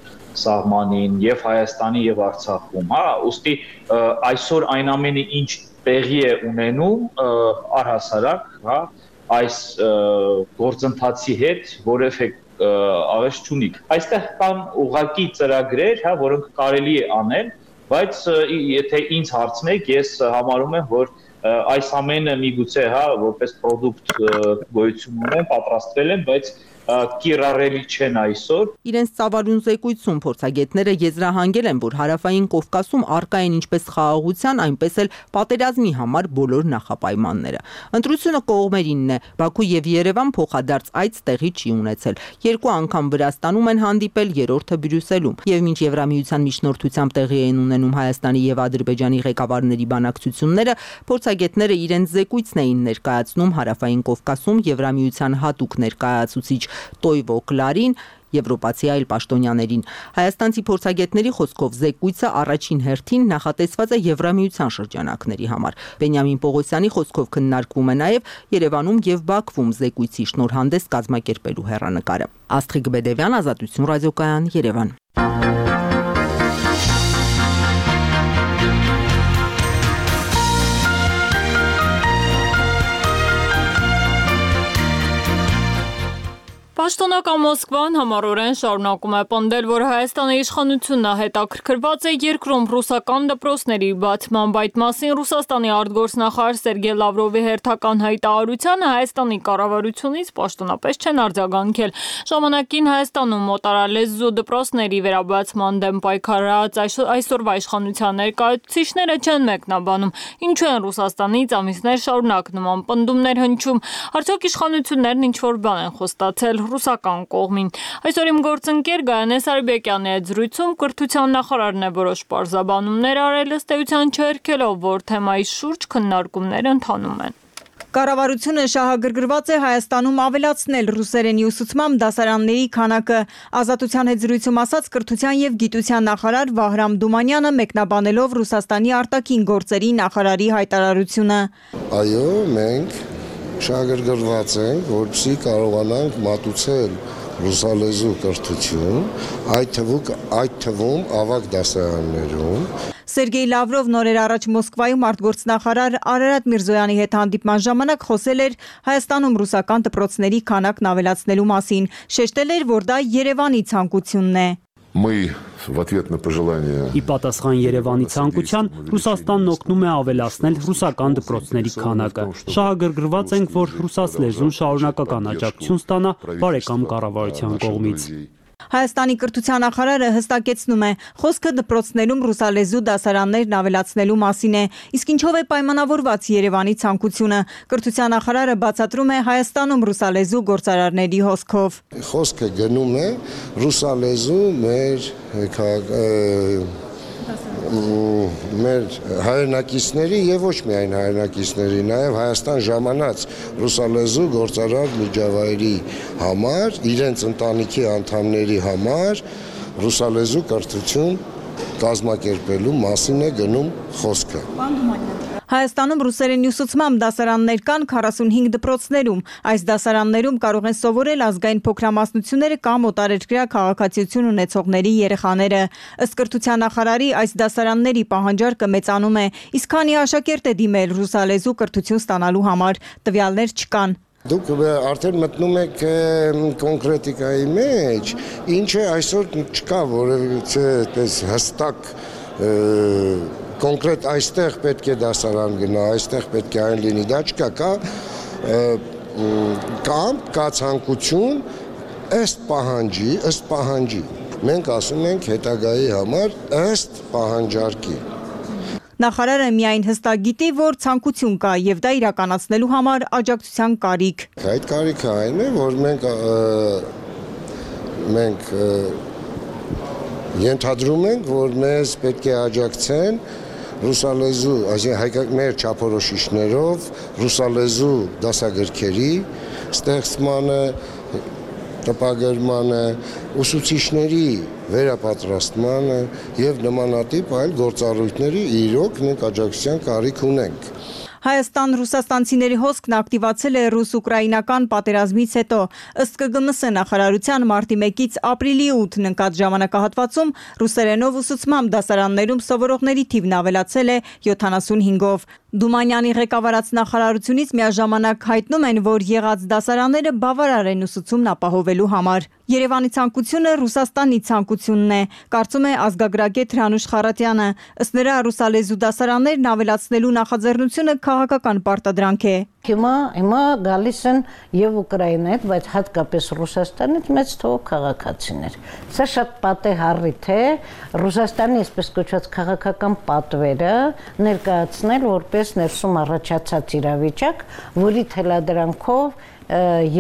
սահմանին եւ Հայաստանի եւ Արցախում, ուստի այսօր այն ամենը ինչ տեղի է ունենում առհասարակ, այս գործընթացի հետ որևէ աղետ չունի։ Այստեղ կան ուղղակի ծրագրեր, որոնք կարելի է անել, բայց եթե ինձ հարցնեք, ես համարում եմ, որ այս ամենը միգուցե, որպես պրոդուկտ գոյություն ունեն, պատրաստվել են, բայց կիրառելի չեն այսօր։ Իրենց ծավալուն զեկույցում փորձագետները եզրահանգել են, որ Հարավային Կովկասում առկա են ինչպես խաղաղության, այնպես էլ պատերազմի համար բոլոր նախապայմանները։ Ընտրությունը կողմերինն է, Բաքու եւ Երևան փոխադարձ այց տեղի չի ունեցել։ Երկու անգամ Վրաստանում են հանդիպել, երրորդը Բրյուսելում։ Եվ մինչ Եվրամիության միջնորդությամբ տեղի են ունենում Հայաստանի եւ Ադրբեջանի ղեկավարների բանակցությունները, փորձագետները իրենց զեկույցն էին ներկայացնում Հարավային Կովկասում Եվրամիության հատուկ ներկայացուցիչ Տոյվո Կլարին, եվրոպացի այլ պաշտոնյաներին։ Հայաստանցի փորձագետների խոսքով զեկույցը առաջին հերթին նախատեսված է Եվրամիության շրջանակների համար։ Բենյամին Պողոսյանի խոսքով քննարկվում է նաև Երևանում եւ Բաքվում զեկույցի շնորհանդես կազմակերպելու հեռանկարը։ Աստղիկ Բեդևյան, Ազատություն ռադիոկայան, Երևան։ Պաշտոնական Մոսկվան համառորեն շարունակում է պնդել, որ Հայաստանի իշխանությունը հետաքրքրված է երկրում ռուսական դպրոցների բացմամբ։ Այդ մասին Ռուսաստանի արտգործնախարար Սերգեյ Լավրովի հերթական հայտարարությանը Հայաստանի կառավարությունից պաշտոնապես չեն արձագանքել։ Ժամանակին Հայաստանում մոտարալեզու դպրոցների վերաբացման դեմ պայքարած այսօրվա իշխանության ներկայացուցիչները չեն մեկնաբանում, ինչու են Ռուսաստանից ամիսներ շարունակ նման պնդումներ հնչում։ Արդյոք իշխանություններն ինչ-որ բան են խոստացել ռուսական կողմին։ Այսօր իմ գործընկեր Գայանե Սարիբեկյանի հետ զրույցում կրթության նախարարն է որոշ պարզաբանումներ արել, ըստ էության չհերքելով, որ թեմայի շուրջ քննարկումներ ընթանում են։ Կառավարությունը շահագրգռված է Հայաստանում ավելացնել ռուսերենի ուսուցման դասարանների քանակը։ Ազատության հետ զրույցում ասաց կրթության եւ գիտության նախարար Վահրամ Դումանյանը, մեկնաբանելով Ռուսաստանի արտաքին գործերի նախարարի հայտարարությունը։ Այո, մենք շահագրգռված ենք, որպեսզի կարողանանք մատուցել ռուսալեզու կրթություն, այդ թվում ավագ դասարաններում։ Սերգեյ Լավրովն օրեր առաջ Մոսկվայում արտգործնախարար Արարատ Միրզոյանի հետ հանդիպման ժամանակ խոսել էր Հայաստանում ռուսական դպրոցների քանակն ավելացնելու մասին, շեշտել էր, որ դա Երևանի ցանկությունն է։ Ի պատասխան Երևանի ցանկության, Ռուսաստանն օգնում է ավելացնել ռուսական դպրոցների քանակը։ Շահագրգռված ենք, որ ռուսաց լեզուն շարունակական աջակցություն ստանա բարեկամ կառավարության կողմից։ Հայաստանի կրթության նախարարը հստակեցնում է, խոսքը դպրոցներում ռուսալեզու դասարաններն ավելացնելու մասին է, իսկ ինչով է պայմանավորված Երևանի ցանկությունը։ Կրթության նախարարը բացատրում է Հայաստանում ռուսալեզու գործարարների հոսքով։ Խոսքը գնում է ռուսալեզու մեր հայրենակիցների եւ ոչ միայն հայրենակիցների, նաեւ Հայաստան ժամանած ռուսալեզու գործարար միջավայրի համար, իրենց ընտանիքի անդամների համար ռուսալեզու կրթություն կազմակերպելու մասին է գնում խոսքը։ Հայաստանում ռուսերենի ուսուցմամբ դասարաններ կան 45 դպրոցներում։ Այս դասարաններում կարող են սովորել ազգային փոքրամասնությունները կամ օտարերկրյա քաղաքացիություն ունեցողների երեխաները։ Ըստ կրթության նախարարի, այս դասարանների պահանջարկը մեծանում է, իսկ քանի աշակերտ է դիմել ռուսալեզու կրթություն ստանալու համար, տվյալներ չկան։ Դուք արդեն մտնում եք կոնկրետիկայի մեջ, ինչը այսօր չկա որևիցե այդպես հստակ կոնկրետ այստեղ պետք է դասարան գնա, այստեղ պետք է այն լինի, դա չկա, կա ցանկություն ըստ պահանջի։ Մենք ասում ենք հետագայի համար ըստ պահանջարկի։ Նախարարը միայն հստակ գիտի, որ ցանկություն կա եւ դա իրականացնելու համար աջակցության կարիք։ Այդ կարիքը այն է, որ մենք ենթադրում ենք, որ մեզ պետք է աջակցեն ռուսալեզու, այսինքն մեր չափորոշիչներով ռուսալեզու դասագրքերի ստեղծմանը, տպագրմանը, ուսուցիչների վերապատրաստմանը եւ նմանատիպ այլ գործառույթների իրոք մենք աջակցության կարիք ունենք։ Հայաստան-ռուսաստանցիների հոսքն ակտիվացել է ռուս-ուկրաինական պատերազմից հետո։ Ըստ ԿԳՄՍ նախարարության մարտի 1-ից ապրիլի 8-ն ընկած ժամանակահատվածում ռուսերենով ուսուցմամբ դասարաններում սովորողների թիվն ավելացել է 75-ով։ Դումանյանի ղեկավարած նախարարությունից միաժամանակ հայտնում են, որ եղած դասարանները բավարար են ուսուցումն ապահովելու համար։ Երևանի ցանկությունը Ռուսաստանի ցանկությունն է, կարծում է ազգագրագետ Հրանուշ Խառատյանը։ Ըստ նրա ռուսալեզու դասարաններն ավելացնելու նախաձեռնությունը քաղաքական պարտադրանք է։ Հիմա գալիս են եւ Ուկրաինայից, բայց հատկապես Ռուսաստանից մեծ թվով քաղաքացիներ։ Սա շատ պատեհառիթ է Ռուսաստանի այսպես կոչված քաղաքական պատվերը ներկայացնել որպես ներսում առաջացած իրավիճակ, որի թելադրանքով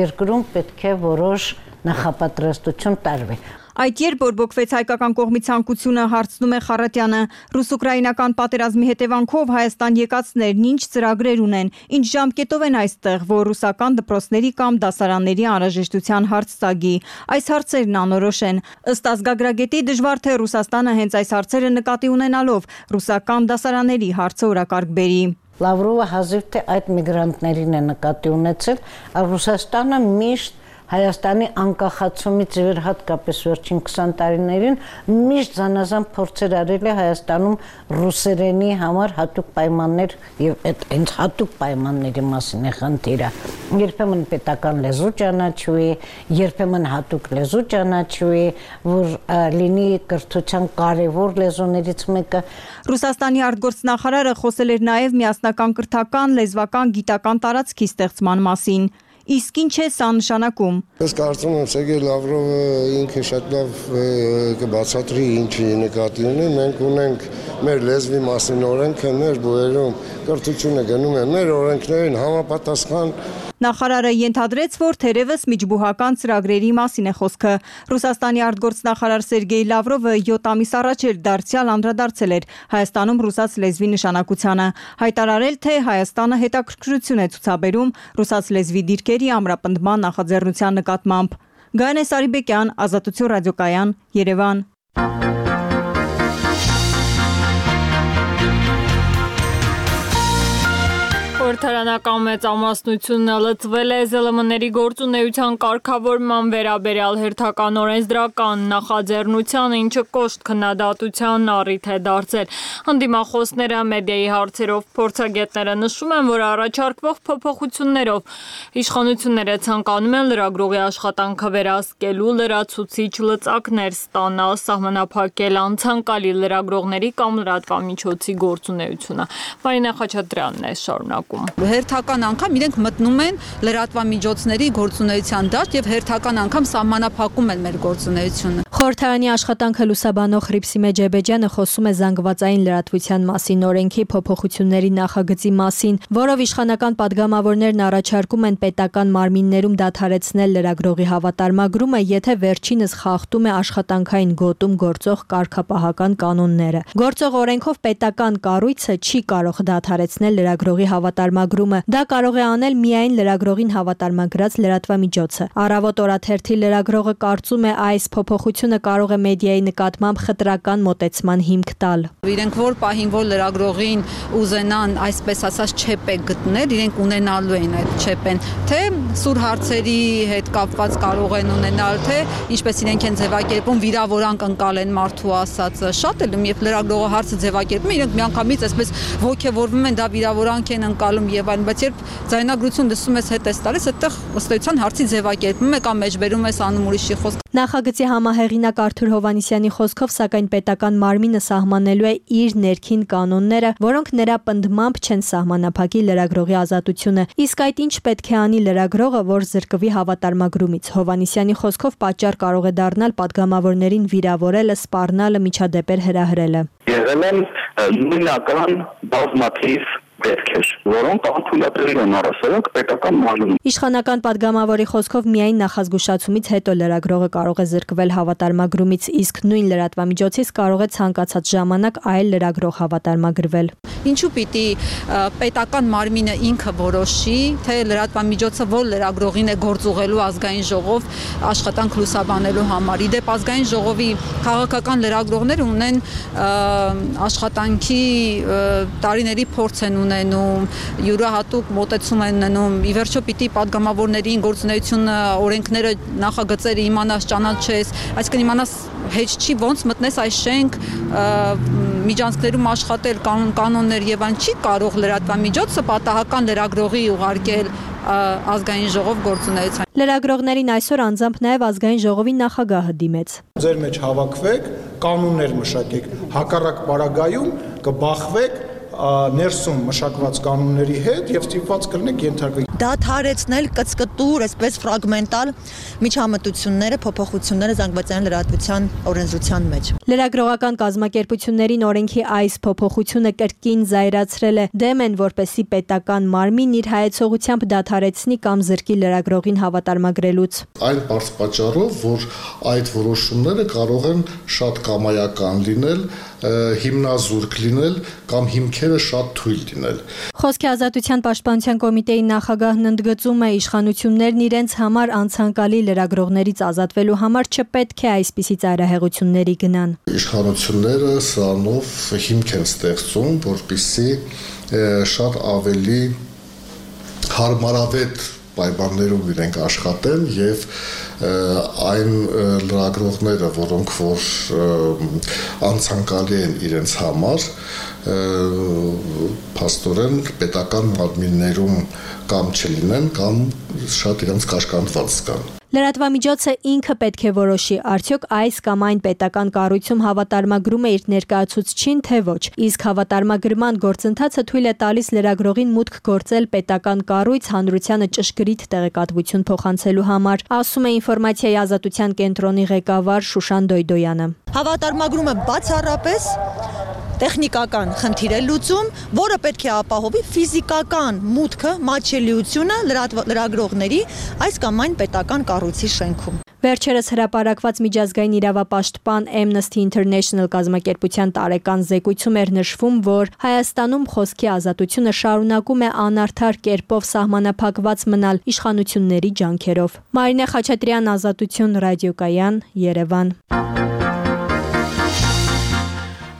երկրում պետք է որոշ նախապատրաստություն տարվի։ Այդ երբ բորբոքվեց հայկական կողմի ցանկությունը, հարցնում է Խառատյանը, ռուս-ուկրաինական պատերազմի հետևանքով Հայաստան եկածներն ինչ ծրագրեր ունեն, ինչ ժամկետով են այստեղ, որ ռուսական դպրոցների կամ դասարանների անհրաժեշտության հարց ծագի։ Այս հարցերն անորոշ են։ Ըստ ազգագրագետի դժվար թե Ռուսաստանը հենց այս հարցերը նկատի ունենալով ռուսական դասարանների հարցը օրակարգ բերի։ Լավրովը հազիվ թե այդ միգրանտներին է նկատի ունեցել, Ռուսաստանը միշտ Հայաստանի անկախացումից իվեր հատկապես վերջին 20 տարիներին միշտ զանազան փորձեր արել է Հայաստանում ռուսերենի համար հատուկ պայմաններ եւ այդ հենց հատուկ պայմանների մասին է խնդիրը։ Երբեմն պետական լեզու ճանաչվի, երբեմն հատուկ լեզու ճանաչվի, որ լինի կրթության կարևոր լեզուներից մեկը։ Ռուսաստանի արտգործնախարարը խոսել էր նաեւ միասնական կրթական, լեզվական, գիտական տարածքի ստեղծման մասին։ Իսկ ինչ է սա նշանակում։ Ես կարծում եմ Սերգեյ Լավրովը ինքը շատ լավ կբացատրի ինչի նկատի ունի։ Մենք ունենք մեր լեզվի մասին օրենքը, մեր բուհերում կրթությունը գնում է մեր օրենքներին համապատասխան։ Նախարարը ենթադրեց, որ թերևս միջբուհական ծրագրերի մասին է խոսքը։ Ռուսաստանի արտգործնախարար Սերգեյ Լավրովը 7 ամիս առաջ էր դարձյալ անդրադարձել էր Հայաստանում ռուսաց լեզվի նշանակությանը, հայտարարել, թե Հայաստանը հետաքրքրություն է ցուցաբերում ռուսաց լեզվի դիրքերի ամրապնդման նախաձեռնության նկատմամբ։ Գայանե Սարիբեկյան, Ազատություն ռադիոկայան, Երևան։ Խորհրդարանական մեծամասնությունը լծվել է ԶԼՄ-ների գործունեության կարգավորման վերաբերյալ հերթական օրենսդրական նախաձեռնությանը, ինչը կոշտ քննադատության առիթ է դարձել։ Հանդիմախոսները մեդիայի հարցերով փորձագետները նշում են, որ առաջարկվող փոփոխություններով իշխանությունները ցանկանում են լրագրողի աշխատանքը վերահսկելու, լրացուցիչ լծակներ ստանալ, սահմանափակել անցանկալի լրագրողների կամ լրատվամիջոցի գործունեությունը։ Մարինա Խաչատրյանն է շարունակում։ Հերթական անգամ իրենք մտնում են լրատվամիջոցների գործունեության դաշտ եւ հերթական անգամ սահմանափակում են մեր գործունեությունը։ Խորհրդարանի աշխատանքը լուսաբանող Հռիփսիմե Ջեբեջյանը խոսում է զանգվածային լրատվության մասին օրենքի փոփոխությունների նախագծի մասին, որով իշխանական падգամավորներն առաջարկում են պետական մարմիններում դադարեցնել լրագրողի հավատարմագրումը, եթե վերջինս խախտում է աշխատանքային գոտում գործող կարգապահական կանոնները։ Գործող օրենքով պետական կառույցը չի կարող դադարեցնել լրագրողի հավատարմագրումը։ Դա կարող է անել միայն լրագրողին հավատարմագրած լրատվամիջոցը։ Առավոտ օրաթերթի լրագրողը կարծում է, այս փոփոխությունը կարող է մեդիայի նկատմամբ խտրական մոտեցման հիմք տալ։ Իրենք որ պահին որ լրագրողին ուզենան այսպես ասած չեպ գտնել, իրենք ունենալու են այդ չեպեն, թե սուր հարցերի հետ կապված կարող են ունենալ, թե ինչպես իրենք են ձևակերպում վիրավորանք ընկալեն մարդու ասածը։ Շատ էլ երբ լրագրողը հարցը ձևակերպում, իրենք միանգամից այսպես ոգևորվում են, դա վիրավորանք են ընկալում, կատարում եւ այլն, բայց երբ ձայնագրություն լսում ես հետ ես տալիս, այդտեղ ըստ էության հարցի ձևակերպում է կամ մեջբերում ես անում ուրիշի խոսք։ Նախագծի համահեղինակ Արթուր Հովհաննիսյանի խոսքով, սակայն պետական մարմինը սահմանելու է իր ներքին կանոնները, որոնք նրա պնդմամբ չեն սահմանափակի լրագրողի ազատությունը։ Իսկ այդ ինչ պետք է անի լրագրողը, որ զրկվի հավատարմագրումից։ Հովհաննիսյանի խոսքով պատճառ կարող է դառնալ падգամավորներին վիրավորելը, սպառնալը, միջադեպեր հրահրելը։ Եղել են նույնական բազմաթիվ դեպքեր, որոնք անթույլատրելի են առասարակ պետական մարմնում։ Իշխանական падգամավորի խոսքով միայն նախազգուշացումից հետո լրագրողը կարող է զրկվել հավատարմագրումից, իսկ նույն լրատվամիջոցից կարող է ցանկացած ժամանակ այլ լրագրող հավատարմագրվել։ Ինչու պիտի պետական մարմինը ինքը որոշի, թե լրատվամիջոցը որ լրագրողին է գործուղելու ազգային ժողով աշխատանք լուսաբանելու համար։ Իդեպ ազգային ժողովի քաղաքական լրագրողները ունեն աշխատանքի տարիների փորձ են ունենում, յուրահատուկ մոտեցում են ունենում։ Ի վերջո պիտի падգամավորներին գործունեությունը, օրենքները, նախագծերը իմանաս, ճանաչես, այսինքն իմանաս հեչ չի ոնց մտնես այս շենք, միջանցքներում աշխատել, կանոններ եւ այն չի կարող լրատվամիջոցը պատահական լրագրողի ուղարկել ազգային ժողով գործունեության։ Լրագրողներին այսօր անձամբ նաև ազգային ժողովի նախագահը դիմեց։ Ձեր մեջ հավաքվեք, կանոններ մշակեք, հակառակ պարագայում կբախվեք ներսում մշակված կանոնների հետ եւ ստիպված կլինեք ենթարկվել։ Դադարեցնել կծկտուր, այսպես ֆրագմենտալ միջամտությունները, փոփոխությունները զանգվածային լրատվության օրենսդրության մեջ։ Լրագրողական կազմակերպություններին օրենքի այս փոփոխությունը կրկին զայրացրել է, դեմ են, որպեսզի պետական մարմին իր հայեցողությամբ դադարեցնի կամ զրկի լրագրողին հավատարմագրելուց։ Այն բարձ պատճառով, որ այդ որոշումները կարող են շատ կամայական լինել, հիմնազուրկ լինել կամ հիմքերը շատ թույլ լինել։ Խոսքի ազատության պաշտպանության կոմիտեի նախագահն ընդգծում է, իշխանություններն իրենց համար անցանկալի լրագրողներից ազատվելու համար չպետք է այսպիսի ծայրահեղությունների գնան։ Իշխանությունները սրանով հիմք են ստեղծում, որպեսզի շատ ավելի հարմարավետ պայմաններում իրենք աշխատեն եւ այն լրագրողները, որոնք որ անցանկալի են իրենց համար, փաստորեն պետական մարմիններում կամ չլինեն, կամ շատ իրենց կաշկանդված զգան։ Լրատվամիջոցը ինքը պետք է որոշի, արդյոք այս կամ այն պետական կառույցում հավատարմագրում է իր ներկայացուցչին, թե ոչ։ Իսկ հավատարմագրման գործընթացը թույլ է տալիս լրագրողին մուտք գործել պետական կառույց հանրությանը ճշգրիտ տեղեկատվություն փոխանցելու համար, ասում է Ինֆորմացիայի ազատության կենտրոնի ղեկավար Շուշան Դոյդոյանը։ Հավատարմագրումը բացառապես տեխնիկական խնդիր է լուծում, որը պետք է ապահովի ֆիզիկական մուտքը, մատչելիությունը լրագրողների այս կամ այն պետական կառույցի շենքում։ Վերջերս հրապարակված միջազգային իրավապաշտպան Amnesty International կազմակերպության տարեկան զեկույցում էր նշվում, որ Հայաստանում խոսքի ազատությունը շարունակում է անարդար կերպով սահմանափակված մնալ իշխանությունների ջանքերով։ Մարինե Խաչատրյան, Ազատություն, Ռադիոկայան, Երևան։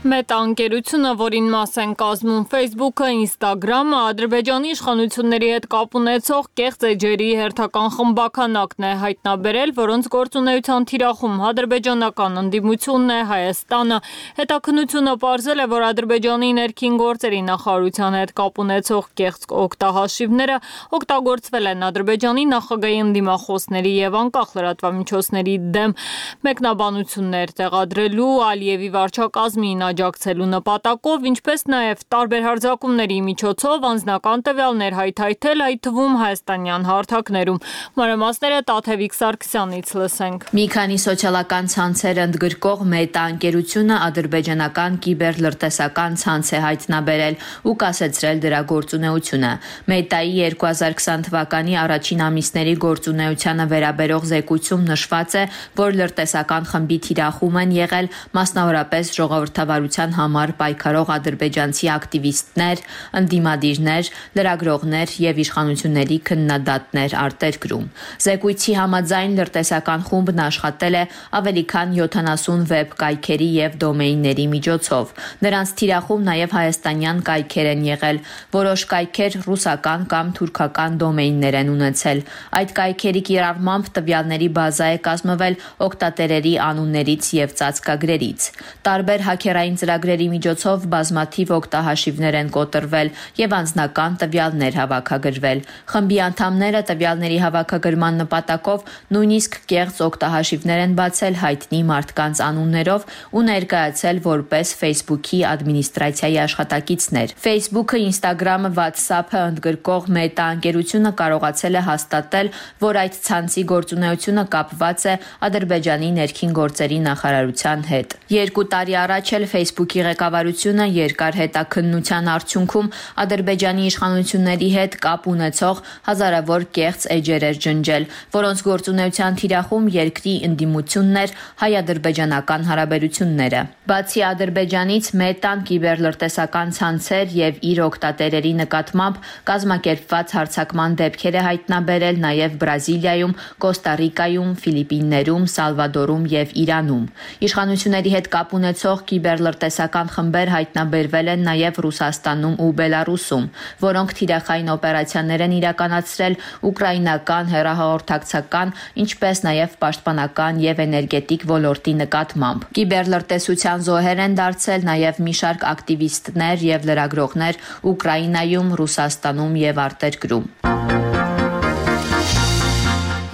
Մետա ընկերությունը, որին մաս են կազմում Facebook-ը, Instagram-ը, Ադրբեջանի իշխանությունների հետ կապ ունեցող կեղծ էջերի հերթական խմբականակն է հայտնաբերել, որոնց գործունեության թիրախում ադրբեջանական ընդդիմությունն է, Հայաստանը։ Հետաքննությունը պարզել է, որ Ադրբեջանի ներքին գործերի նախարարության հետ կապ ունեցող կեղծ օգտահաշիվները օգտագործվել են Ադրբեջանի նախագահի ընդդիմախոսների եւ անկախ լրատվամիջոցների դեմ մեկնաբանություններ տեղադրելու, Ալիևի վարչակազմին աջակցելու նպատակով, ինչպես նաև տարբեր հարձակումների միջոցով անձնական տվյալներ հայթայթել, այդ թվում հայաստանյան հարթակներում։ Մանրամասները Տաթևիկ Սարգսյանից լսենք։ Մի քանի սոցիալական ցանցեր ընդգրկող Մետա ընկերությունը ադրբեջանական կիբերլրտեսական ցանց է հայտնաբերել ու կասեցրել դրա գործունեությունը։ Մետայի 2020 թվականի առաջին ամիսների գործունեությանը վերաբերող զեկույցում նշված է, որ լրտեսական խմբի թիրախում են եղել մասնավորապես ժողովրդավարության համար պայքարող ադրբեջանցի ակտիվիստներ, ընդդիմադիրներ, լրագրողներ եւ իշխանությունների քննադատներ արտերկրում։ Զեկույցի համաձայն լրտեսական խումբն աշխատել է ավելի քան 70 վեբ կայքերի եւ դոմեյնների միջոցով։ Նրանց թիրախում նաեւ հայաստանյան կայքեր են եղել, որոշ կայքեր ռուսական կամ թուրքական դոմեյններ են ունեցել։ Այդ կայքերի կիրառմամբ տվյալների բազա է կազմվել օգտատերերի անուններից եւ ծածկագրերից։ Տարբեր հաքերային ծրագրերի միջոցով բազմաթիվ օգտահաշիվներ են կոտրվել եւ անձնական տվյալներ հավաքագրվել։ Խմբի անդամները տվյալների հավաքագրման նպատակով նույնիսկ կեղծ օգտահաշիվներ են բացել հայտնի մարդկանց անուններով ու ներկայացել որպես Facebook-ի ադմինիստրացիայի աշխատակիցներ։ Facebook-ը, Instagram-ը, WhatsApp-ը ընդգրկող Meta ընկերությունը կարողացել է հաստատել, որ այդ ցանցի գործունեությունը կապված է Ադրբեջանի ներքին գործերի նախարարության հետ։ 2 տարի առաջ էլ Facebook-ի ղեկավարությունը երկար հետաքննության արդյունքում Ադրբեջանի իշխանությունների հետ կապ ունեցող հազարավոր կեղծ էջեր էր ջնջել, որոնց գործունեության թիրախում երկրի ընդդիմությունն էր հայ-ադրբեջանական հարաբերությունները։ Բացի Ադրբեջանից Մետան կիբերլրտեսական ցանցեր եւ իր օգտատերերի նկատմամբ կազմակերպված հարձակման դեպքեր է հայտնաբերել նաեւ Բրազիլիայում, Կոստա Ռիկայում, Ֆիլիպիններում, Սալվադորում եւ Իրանում։ Իշխանությունների հետ կապ ունեցող կիբերլրտեսական խմբեր հայտնաբերվել են նաեւ Ռուսաստանում ու Բելարուսում, որոնք թիրախային օպերացիաներ են իրականացրել ուկրաինական հեռահաղորդակցական, ինչպես նաեւ պաշտպանական եւ էներգետիկ ոլորտի նկատմամբ։ Կիբերլրտեսության զոհեր են դարձել նաեւ մի շարք ակտիվիստներ եւ լրագրողներ Ուկրաինայում, Ռուսաստանում եւ արտերկրում։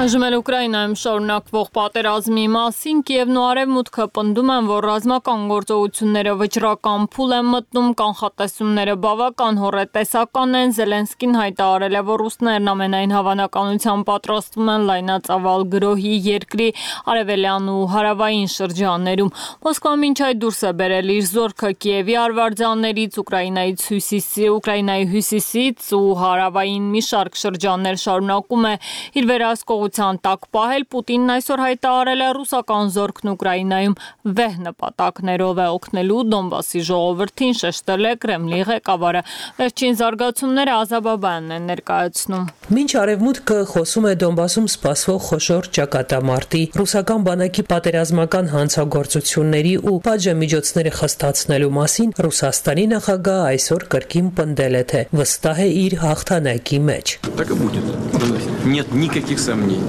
Այժմ էլ Ուկրաինայում շարունակվող պատերազմի մասին Կիևն ու Արևմուտքը պնդում են, որ ռազմական գործողությունները վճռական փուլ են մտնում, կանխատեսումները բավական հոռետեսական են։ Զելենսկին հայտարարել է, որ ռուսներն ամենայն հավանականությամբ պատրաստվում են լայնածավալ գրոհի երկրի արևելյան ու հարավային շրջաններում։ Մոսկվան մինչ այդ դուրս է բերել իր զորքը Կիևի արվարձաններից, Ուկրաինայի հյուսիսից ու հարավային մի շարք շրջաններ շարունակում է իր վերահսկողության տակ պահել։ Պուտինն այսօր հայտարարել է ռուսական զորքն Ուկրաինայում վեհ նպատակներով է օգնելու Դոնբասի ժողովրդին, շեշտել է Կրեմլի ղեկավարը։ Վերջին զարգացումները Ազաբաբյանն են ներկայացնում։ Մինչ Արևմուտքը խոսում է Դոնբասում սպասվող խոշոր ճակատամարտի, ռուսական բանակի պատերազմական հանցագործությունների ու պատժամիջոցները խստացնելու մասին, Ռուսաստանի նախագահը այսօր կրկին պնդել է, թե վստահ է իր հաղթանակի մեջ։ Нет никаких сомнений.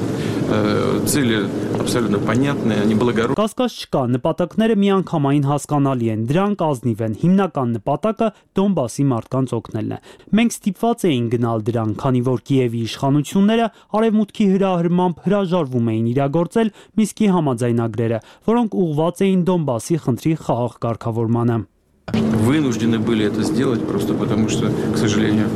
Цели абсолютно понятные, они благородные. Կասկած չկա, նպատակները միանգամայն հասկանալի են, դրանք ազնիվ են։ Հիմնական նպատակը Դոնբասի մարդկանց օգնելն է։ Մենք ստիպված էինք գնալ դրան, քանի որ Կիևի իշխանությունները Արևմուտքի հրահրմամբ հրաժարվում էին իրագործել Մինսկի համաձայնագրերը, որոնք ուղղված էին Դոնբասի խնդրի խաղաղ կարգավորմանը։ Вынуждены были это сделать просто потому, что, к сожалению,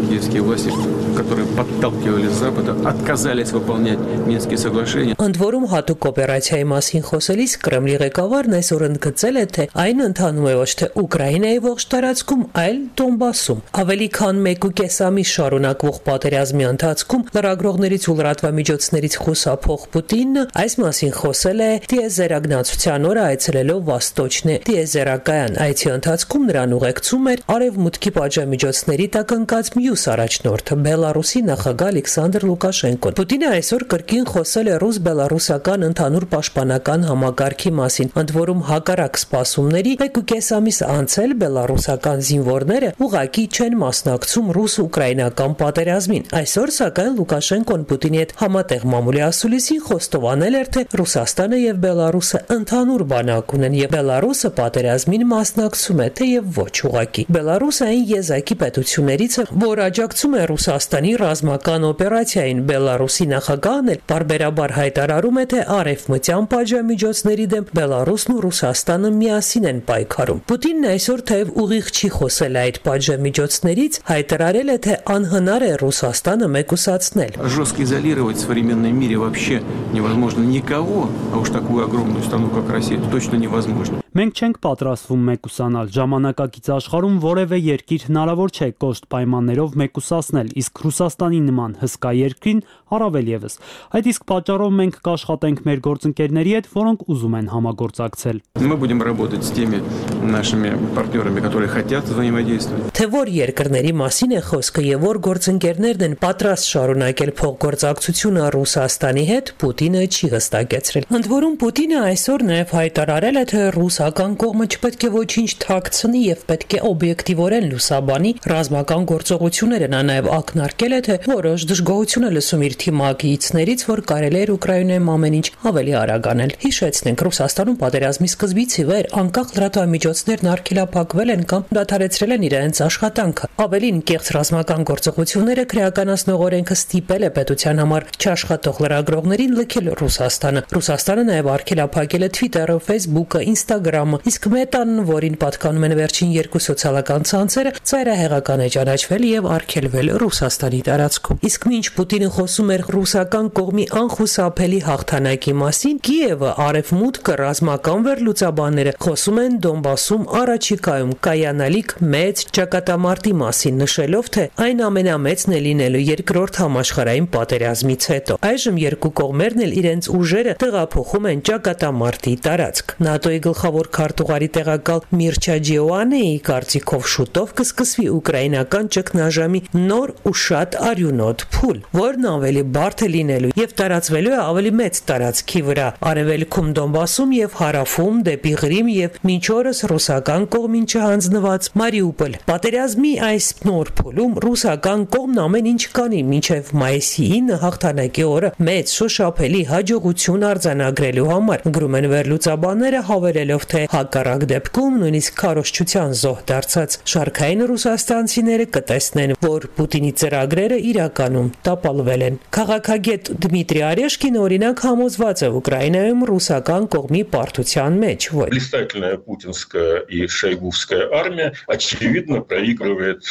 киевские власти, которые подталкивали с Запада, отказались выполнять Минские соглашения. Ընդ որում հատուկ օպերացիայի մասին խոսելիս Կրեմլի ղեկավարն այսօր ընդգծել է, թե այն ընթանում է ոչ թե Ուկրաինայի ողջ տարածքում, այլ Դոնբասում։ Ավելի քան 1.5 ամիս շարունակվող պատերազմի ընթացքում լրագրողներից ու լրատվամիջոցներից խուսափող Պուտինը այս մասին խոսել է տիեզերագնացության օրը այցելելով Վաստոչնե տիեզերակայան այցի ընթացքում նրան ուղեկցում էր Արևմուտքի պատժամիջոցների տակ ընկած մյուս առաջնորդը Բելարուսի նախագահ Ալեքսանդր Լուկաշենկոն։ Պուտինը այսօր կրկին խոսել է ռուս-բելարուսական ընդհանուր պաշտպանական համակարգի մասին, ընդ որում հակառակ սպասումների 1.5 ամիս անցել բելարուսական զինվորները ուղղակի չեն մասնակցում ռուս-ուկրաինական պատերազմին։ Այսօր սակայն Լուկաշենկոն Պուտինի հետ համատեղ մամուլի ասուլիսին խոստովանել էր, թե Ռուսաստանը եւ Բելարուսը ընդհանուր բանակ ունեն եւ Բելարուսը պատերազմին մասնակցում է, թեև ոչ ուղղակի։ Բելարուսը այն եզակի պետություններից է, որ աջակցում է Ռուսաստանի ռազմական օպերացիային։ Բելարուսի նախագահն էլ բարբերաբար հայտարարում է, թե արևմտյան պատժամիջոցների դեմ Բելարուսն ու Ռուսաստանը միասին են պայքարում։ Պուտինն այսօր թեև ուղիղ չի խոսել այդ պատժամիջոցներից, հայտարարել է, թե անհնար է Ռուսաստանը մեկուսացնել։ Жестко изолировать в современном мире вообще невозможно никого, а уж такую огромную страну, как Россия, это точно невозможно. Մենք չենք պատրաստվում մեկուսանալ։ Ժամանակակից աշխարհում որևէ երկիր հնարավոր չէ կոշտ պայմաններով մեկուսացնել, իսկ Ռուսաստանի նման հսկա երկրին առավել եւս։ Այդ իսկ պատճառով մենք կաշխատենք մեր գործընկերների հետ, որոնք ուզում են համագործակցել։ Мы будем работать с теми нашими партнерами, которые хотят взаимодействовать. Թե որ երկրների մասին է խոսքը եւ որ գործընկերներն են պատրաստ շարունակել փոխգործակցությունը Ռուսաստանի հետ, Պուտինը չի հստակեցրել։ Ընդ որում Պուտինը այսօր նաեւ հայտարարել է, թե ռուսական կողմը չպետք է ոչ ոչինչ թաքցնի եւ պետք է օբյեկտիվորեն լուսաբանի ռազմական գործողությունները։ Նա նաեւ ակնարկել է, թե որոշ դժգոհություն է լսում իր թիմակիցներից, որ կարելի էր Ուկրաինայում ամեն ինչ ավելի արագ անել։ Հիշեցնենք, Ռուսաստանում պատերազմի սկզբից ի վեր անկախ լրատվամիջոցներն արգելափակվել են կամ դադարեցրել են իրենց աշխատանքը։ Ավելին, կեղծ ռազմական գործողությունները քրեականացնող օրենքը ստիպել է պետության համար չաշխատող լրագրողներին լքել Ռուսաստանը։ Ռուսաստանը նաև արգելափակել է Twitter-ը, Facebook-ը, Instagram-ը, իսկ Meta-ն, որին պատկանում են վերջին երկու սոցիալական ցանցերը, ծայրահեղական է ճանաչվել եւ արգելվել Ռուսաստանի տարածքում։ Իսկ մինչ Պուտինը խոսում էր ռուսական կողմի անխուսափելի հաղթանակի մասին, Կիևը, Արևմուտքը, ռազմական վերլուծաբանները խոսում են Դոնբասում առաջիկայում կայանալիք մեծ ճակատամարտի մասին, նշելով, թե այն ամենամեծն է լինելու երկրորդ համաշխարհային պատերազմից հետո։ Այժմ երկու կողմերն էլ իրենց ուժերը տեղափոխում են ճակատամարտի տարածք։ ՆԱՏՕ-ի գլխավոր քարտուղարի տեղակալ Միրչա Ջիոանեի կարծիքով շուտով կսկսվի ուկրաինական ճգնաժամի նոր ու շատ արյունոտ փուլ, որն ավելի բարդ է լինելու եւ տարածվելու է ավելի մեծ տարածքի վրա, արևելքում Դոնբասում եւ հարավում դեպի Ղրիմ եւ մինչ օրս ռուսական կողմին չհանձնված Մարիուպոլ։ Պատերազմի այս նոր փուլում ռուսական կողմն ամեն ինչ կանի մինչև մայիսի 9 հաղթանակի օրը մեծ շոշափելի հաջողություն արձանագրելու համար, գրում են վերլուծաբանները, հավելելով, թե հակառակ դեպքում նույնիսկ քարոզչության զոհ դարձած շարքային ռուսաստանցիները կտեսնեն, որ Պուտինի ծրագրերը իրականում տապալվել են։ Քաղաքագետ Դմիտրի Արեշկին օրինակ համոզված է Ուկրաինայում ռուսական կողմի պարտության մեջ, որ блистательная путинская и шойгувская армия очевидно проигрывает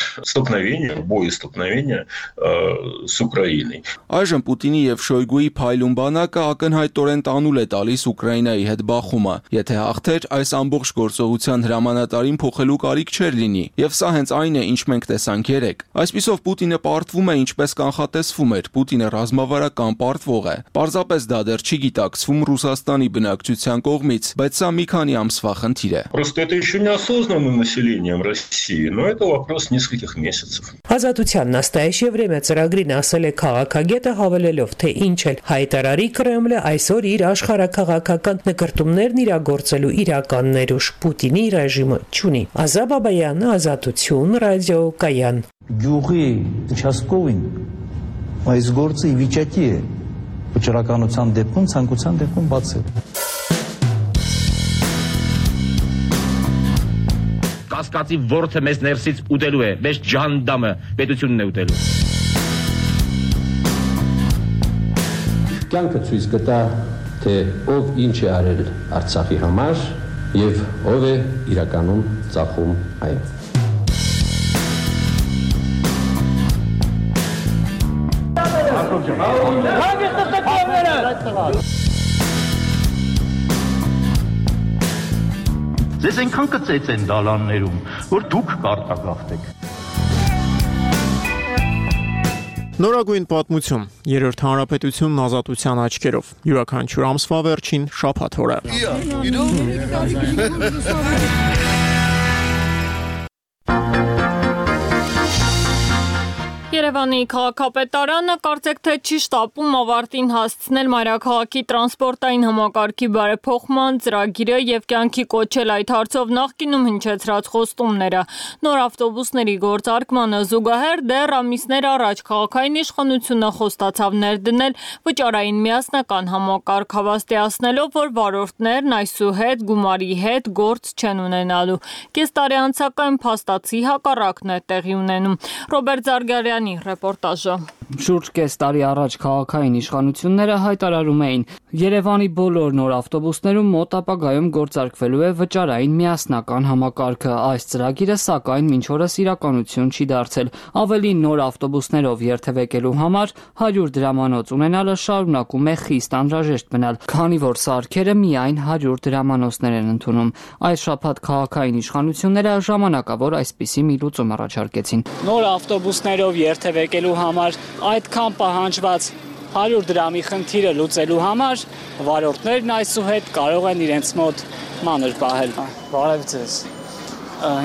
боестолкновение с Украиной. Այժմ Պուտինի եւ Շոյգուի փայլուն բանակը ակնհայտորեն տանուլ է տալիս Ուկրաինայի հետ բախումը։ Եթե հաղթեր, այս ամբողջ գործողության հրամանատարին փոխելու կարիք չէր լինի, եւ սա հենց այն է, ինչ մենք տեսանք երեք։ Այսպիսով Պուտինը պարտվում է ինչպես կանխատեսվում էր, Պուտինը ռազմավարական պարտվող է։ Պարզապես դա դեռ չի գիտակցվում Ռուսաստանի բնակչության կողմից, բայց սա մի քանի ամսվա խնդիր է։ Просто это еще не осознано населением России, но это вопрос нескольких месяцев. Ազատության նաստայեշ время ծրագրին ասել է քաղաքագետը, հավելելով, թե ինչ էլ հայտարարի Կրեմլը, այսօր իր աշխարհաքաղաքական նկարտումներն իրագործելու իրական ներուժ Պուտինի ռեժիմը չունի։ Ազա Բաբայան, Ազատություն, ռադիո կայան։ Գյուղի участковին այս գործը ի վիճակի է վճռականության դեպքում, ցանկության դեպքում բացել։ Կասկածի ворթը մեզ ներսից ուտելու է, մեզ ջանդամը պետությունն է ուտելու։ Կյանքը ցույց կտա, թե ով ինչ է արել Արցախի համար եւ ով է իրականում ծախում այն։ Ձեզ այնքան կծեց են դալաններում, որ դուք կարտագաղթեք։ Նորագույն պատմություն, երրորդ հանրապետությունն ազատության աչքերով, յուրաքանչյուր ամսվա վերջին շաբաթ օրը։ Երևանի քաղաքապետարանը կարծեք թե չի շտապում ավարտին հասցնել մայրաքաղաքի տրանսպորտային համակարգի բարեփոխման ծրագիրը եւ կյանքի կոչել այդ հարցով նախկինում հնչեցրած խոստումները։ Նոր ավտոբուսների գործարկմանը զուգահեռ դեռ ամիսներ առաջ քաղաքային իշխանությունը խոստացավ ներդնել վճարային միասնական համակարգ, հավաստիացնելով, որ վարորդներն այսուհետ գումարի հետ գործ չեն ունենալու։ Կես տարի անցակայն փաստացի հակառակն է տեղի ունենում։ Ռոբերտ Զարգարյանի ռեպորտաժը։ Շուրջ կես տարի առաջ քաղաքային իշխանությունները հայտարարում էին, Երևանի բոլոր նոր ավտոբուսներում մոտ ապագայում գործարկվելու է վճարային միասնական համակարգը։ Այս ծրագիրը սակայն մինչ օրս իրականություն չի դարձել։ Ավելին, նոր ավտոբուսներով երթևեկելու համար 100 դրամանոց ունենալը շարունակում է խիստ անհրաժեշտ մնալ, քանի որ սարքերը միայն 100 դրամանոցներ են ընդունում։ Այս շաբաթ քաղաքային իշխանությունները ժամանակավոր այսպիսի մի լուծում առաջարկեցին։ Նոր ավտոբուսներով երթևեկելու համար այդքան պահանջված 100 դրամի խնդիրը լուծելու համար վարորդներն այսուհետ կարող են իրենց մոտ մանր պահել։ Բարև ձեզ։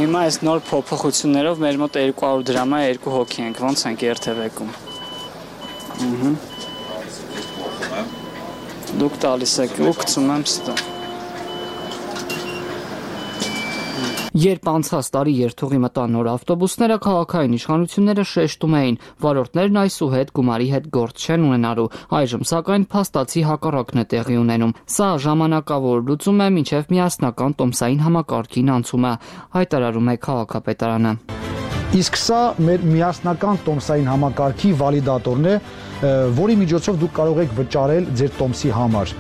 Հիմա այս նոր փոփոխություններով մեր մոտ 200 դրամա 2 հոգի ենք, ոնց ենք երթևեկում։ Դուք տալիս եք ու գցում եմ ստա։ Երբ անցած տարի երթուղի մտան նոր ավտոբուսները, քաղաքային իշխանությունները շեշտում էին, վարորդներն այսուհետ գումարի հետ գործ չեն ունենալու։ Այժմ սակայն փաստացի հակառակն է տեղի ունենում։ Սա ժամանակավոր լուծում է մինչև միասնական տոմսային համակարգին անցումը, հայտարարում է քաղաքապետարանը։ Իսկ սա մեր միասնական տոմսային համակարգի վալիդատորն է, որի միջոցով դուք կարող եք վճարել ձեր տոմսի համար։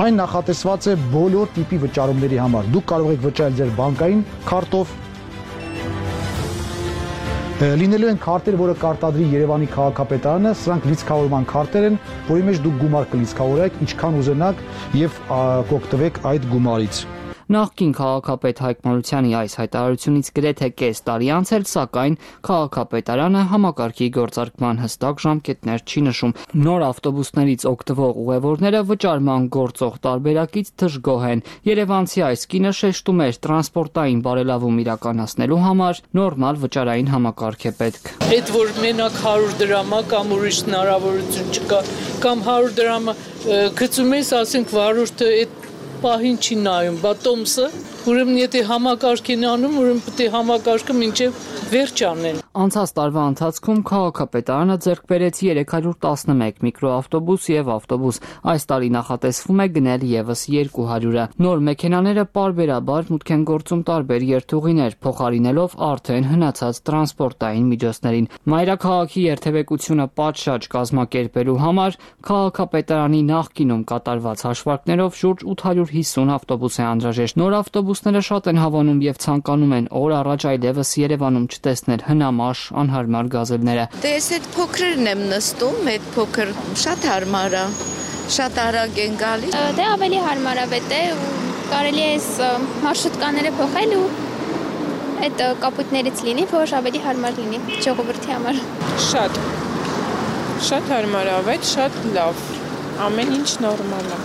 Այն նախատեսված է բոլոր տիպի վճարումների համար։ Դուք կարող եք վճարել ձեր բանկային քարտով, լինելու են քարտեր, որը կարտադրի Երևանի քաղաքապետարանը, սրանք լիցքավորման քարտեր են, որի մեջ դուք գումար կլիցքավորեք, ինչքան ուզենաք եւ կօգտվեք այդ գումարից։ Նախկին քաղաքապետ Հայկ Մարությանի այս հայտարարությունից գրեթե կես տարի անց էլ, սակայն քաղաքապետարանը համակարգի գործարկման հստակ ժամկետներ չի նշում։ Նոր ավտոբուսներից օգտվող ուղևորները վճարման գործող տարբերակից դժգոհ են։ Երևանցի այս կինը շեշտում էր, տրանսպորտային բարելավում իրականացնելու համար նորմալ վճարային համակարգ է պետք։ Այդ որ մենակ 100 դրամա կամ ուրիշ հնարավորություն չկա, կամ 100 դրամը գցում ես, ասենք վարորդը այդ պահին չի նայում, բա տոմսը, ուրեմն եթե համակարգ են անում, ուրեմն պետք է համակարգը մինչև վերջ անեն։ Անցած տարվա ընթացքում քաղաքապետարանը ձեռք բերեց 311 միկրոավտոբուս եւ ավտոբուս։ Այս տարի նախատեսվում է գնել եւս 200-ը։ Նոր մեքենաները պարբերաբար մուտք են գործում տարբեր երթուղիներ, փոխարինելով արդեն հնացած տրանսպորտային միջոցներին։ Մայրաքաղաքի երթևեկությունը պատշաճ կազմակերպելու համար քաղաքապետարանի նախկինում կատարված հաշվարկներով շուրջ 850 ավտոբուս է անհրաժեշտ։ Նոր ավտոբուսները շատ են հավանում եւ ցանկանում են օր առաջ այլևս Երևանում չտեսնել հնամաշ անհարմար գազելները։ Դե ես այդ փոքրերն եմ նստում, այդ փոքր շատ հարմար է, շատ արագ են գալիս։ Դե ավելի հարմարավետ է ու կարելի է այս մարշրուտկաները փոխել ու այդ կապույտներից լինի, որ ավելի հարմար լինի ժողովրդի համար։ Շատ հարմարավետ, շատ լավ։ Ամեն ինչ նորմալ է։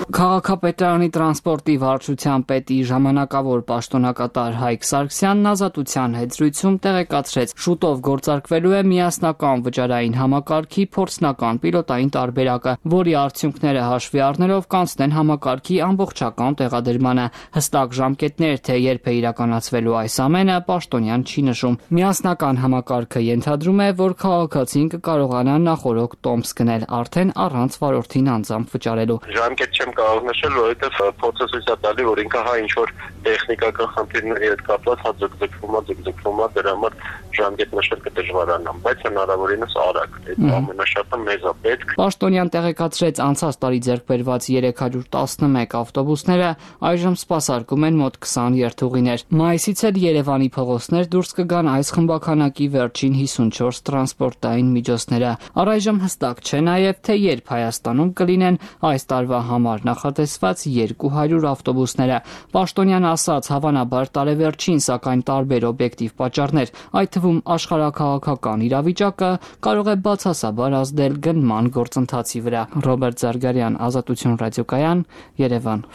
Քաղաքապետարանի տրանսպորտի վարչության պետի ժամանակավոր պաշտոնակատար Հայկ Սարգսյանն ազատության հետ զրույցում տեղեկացրեց, շուտով գործարկվելու է միասնական վճարային համակարգի փորձնական պիլոտային տարբերակը, որի արդյունքները հաշվի առնելով կանցնեն համակարգի ամբողջական տեղադրմանը։ Հստակ ժամկետներ, թե երբ է իրականացվելու այս ամենը, պաշտոնյան չի նշում։ Միասնական համակարգը ենթադրում է, որ քաղաքացին կկարողանա նախօրոք տոմս գնել արդեն առանց վարորդին անձամբ վճարելու։ Ժամկետ չեմ կարող նշել, որովհետև փորձը ցույց է տալի, որ ինքը ինչ որ տեխնիկական խնդիրների հետ կապված ձգձգվում է, դրա համար ժամկետ նշել կդժվարանամ, բայց հնարավորինս արագ։ Այդ ամենաշատը մեզ է պետք։ Պաշտոնյան տեղեկացրեց, անցած տարի ձեռք բերված 311 ավտոբուսները այժմ սպասարկում են մոտ 20 երթուղիներ։ Մայիսից էլ Երևանի փողոցներ դուրս կգան այս խմբականակի վերջին 54 տրանսպորտային միջոցները։ Առայժմ հստակ չէ նաև, թե երբ Հայաստանում կլինեն այս տարվա համար նախատեսված 200 ավտոբուսները։ Պաշտոնյան ասաց, հավանաբար տարեվերջին, սակայն տարբեր օբյեկտիվ պատճառներ, այդ թվում աշխարհաքաղաքական իրավիճակը կարող է բացասաբար ազդել գնման գործընթացի վրա։ Ռոբերտ Զարգարյան, Ազատություն ռադիոկայան, Երևան։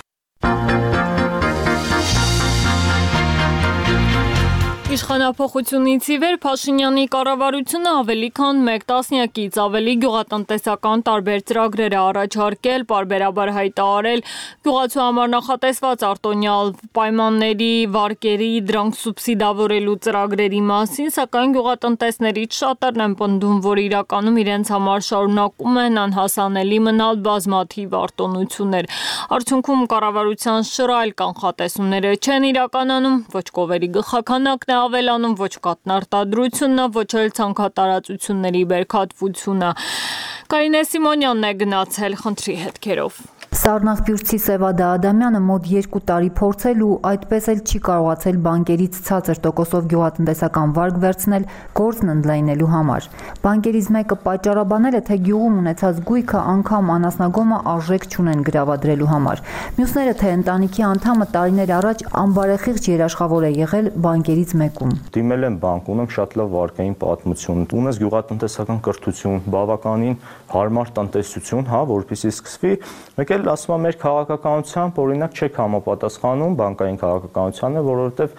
Իշխանափոխությունից ի վեր Փաշինյանի կառավարությունը ավելի քան 1 տասնյակից ավելի գյուղատնտեսական տարբեր ծրագրեր է առաջարկել, պարբերաբար հայտարարել գյուղացու համար նախատեսված արտոնյալ պայմանների, վարկերի, դրանք սուբսիդավորելու ծրագրերի մասին, սակայն գյուղատնտեսներից շատերն են պնդում, որ իրականում իրենց համար շարունակում են անհասանելի մնալ բազմաթիվ արտոնություններ։ Արդյունքում կառավարության շռայլ կանխատեսումները չեն իրականանում, ոչ կովերի գլխաքանակն է ավելանում, ոչ կատնարտադրությունը, ոչ էլ ցանքատարածությունների բերքատվությունը։ Կարինե Սիմոնյանն է գնացել խնդրի հետքերով։ Սառնախբյուրցի Սևադա Ադամյանը մոտ 2 տարի փորձել ու այդպես էլ չի կարողացել բանկերից ցածր տոկոսով գյուղատնտեսական վարկ վերցնել գործն ընդլայնելու համար։ Բանկերից մեկը պատճառաբանել է, թե գյուղում ունեցած գույքը անգամ անասնագոմը արժեք չունեն գրավադրելու համար։ Մյուսները, թե ընտանիքի անդամը տարիներ առաջ անբարեխիղճ երաշխավոր է եղել բանկերից մեկում։ Դիմել եմ բանկ, ունեմ շատ լավ վարկային պատմություն, ունես գյուղատնտեսական կրթություն, բավականին հարմար տնտեսություն, որպեսզի սկսվի, մեկ էլ ասում եմ մեր քաղաքականությամբ օրինակ չեք համապատասխանում բանկային քաղաքականությանը, որովհետև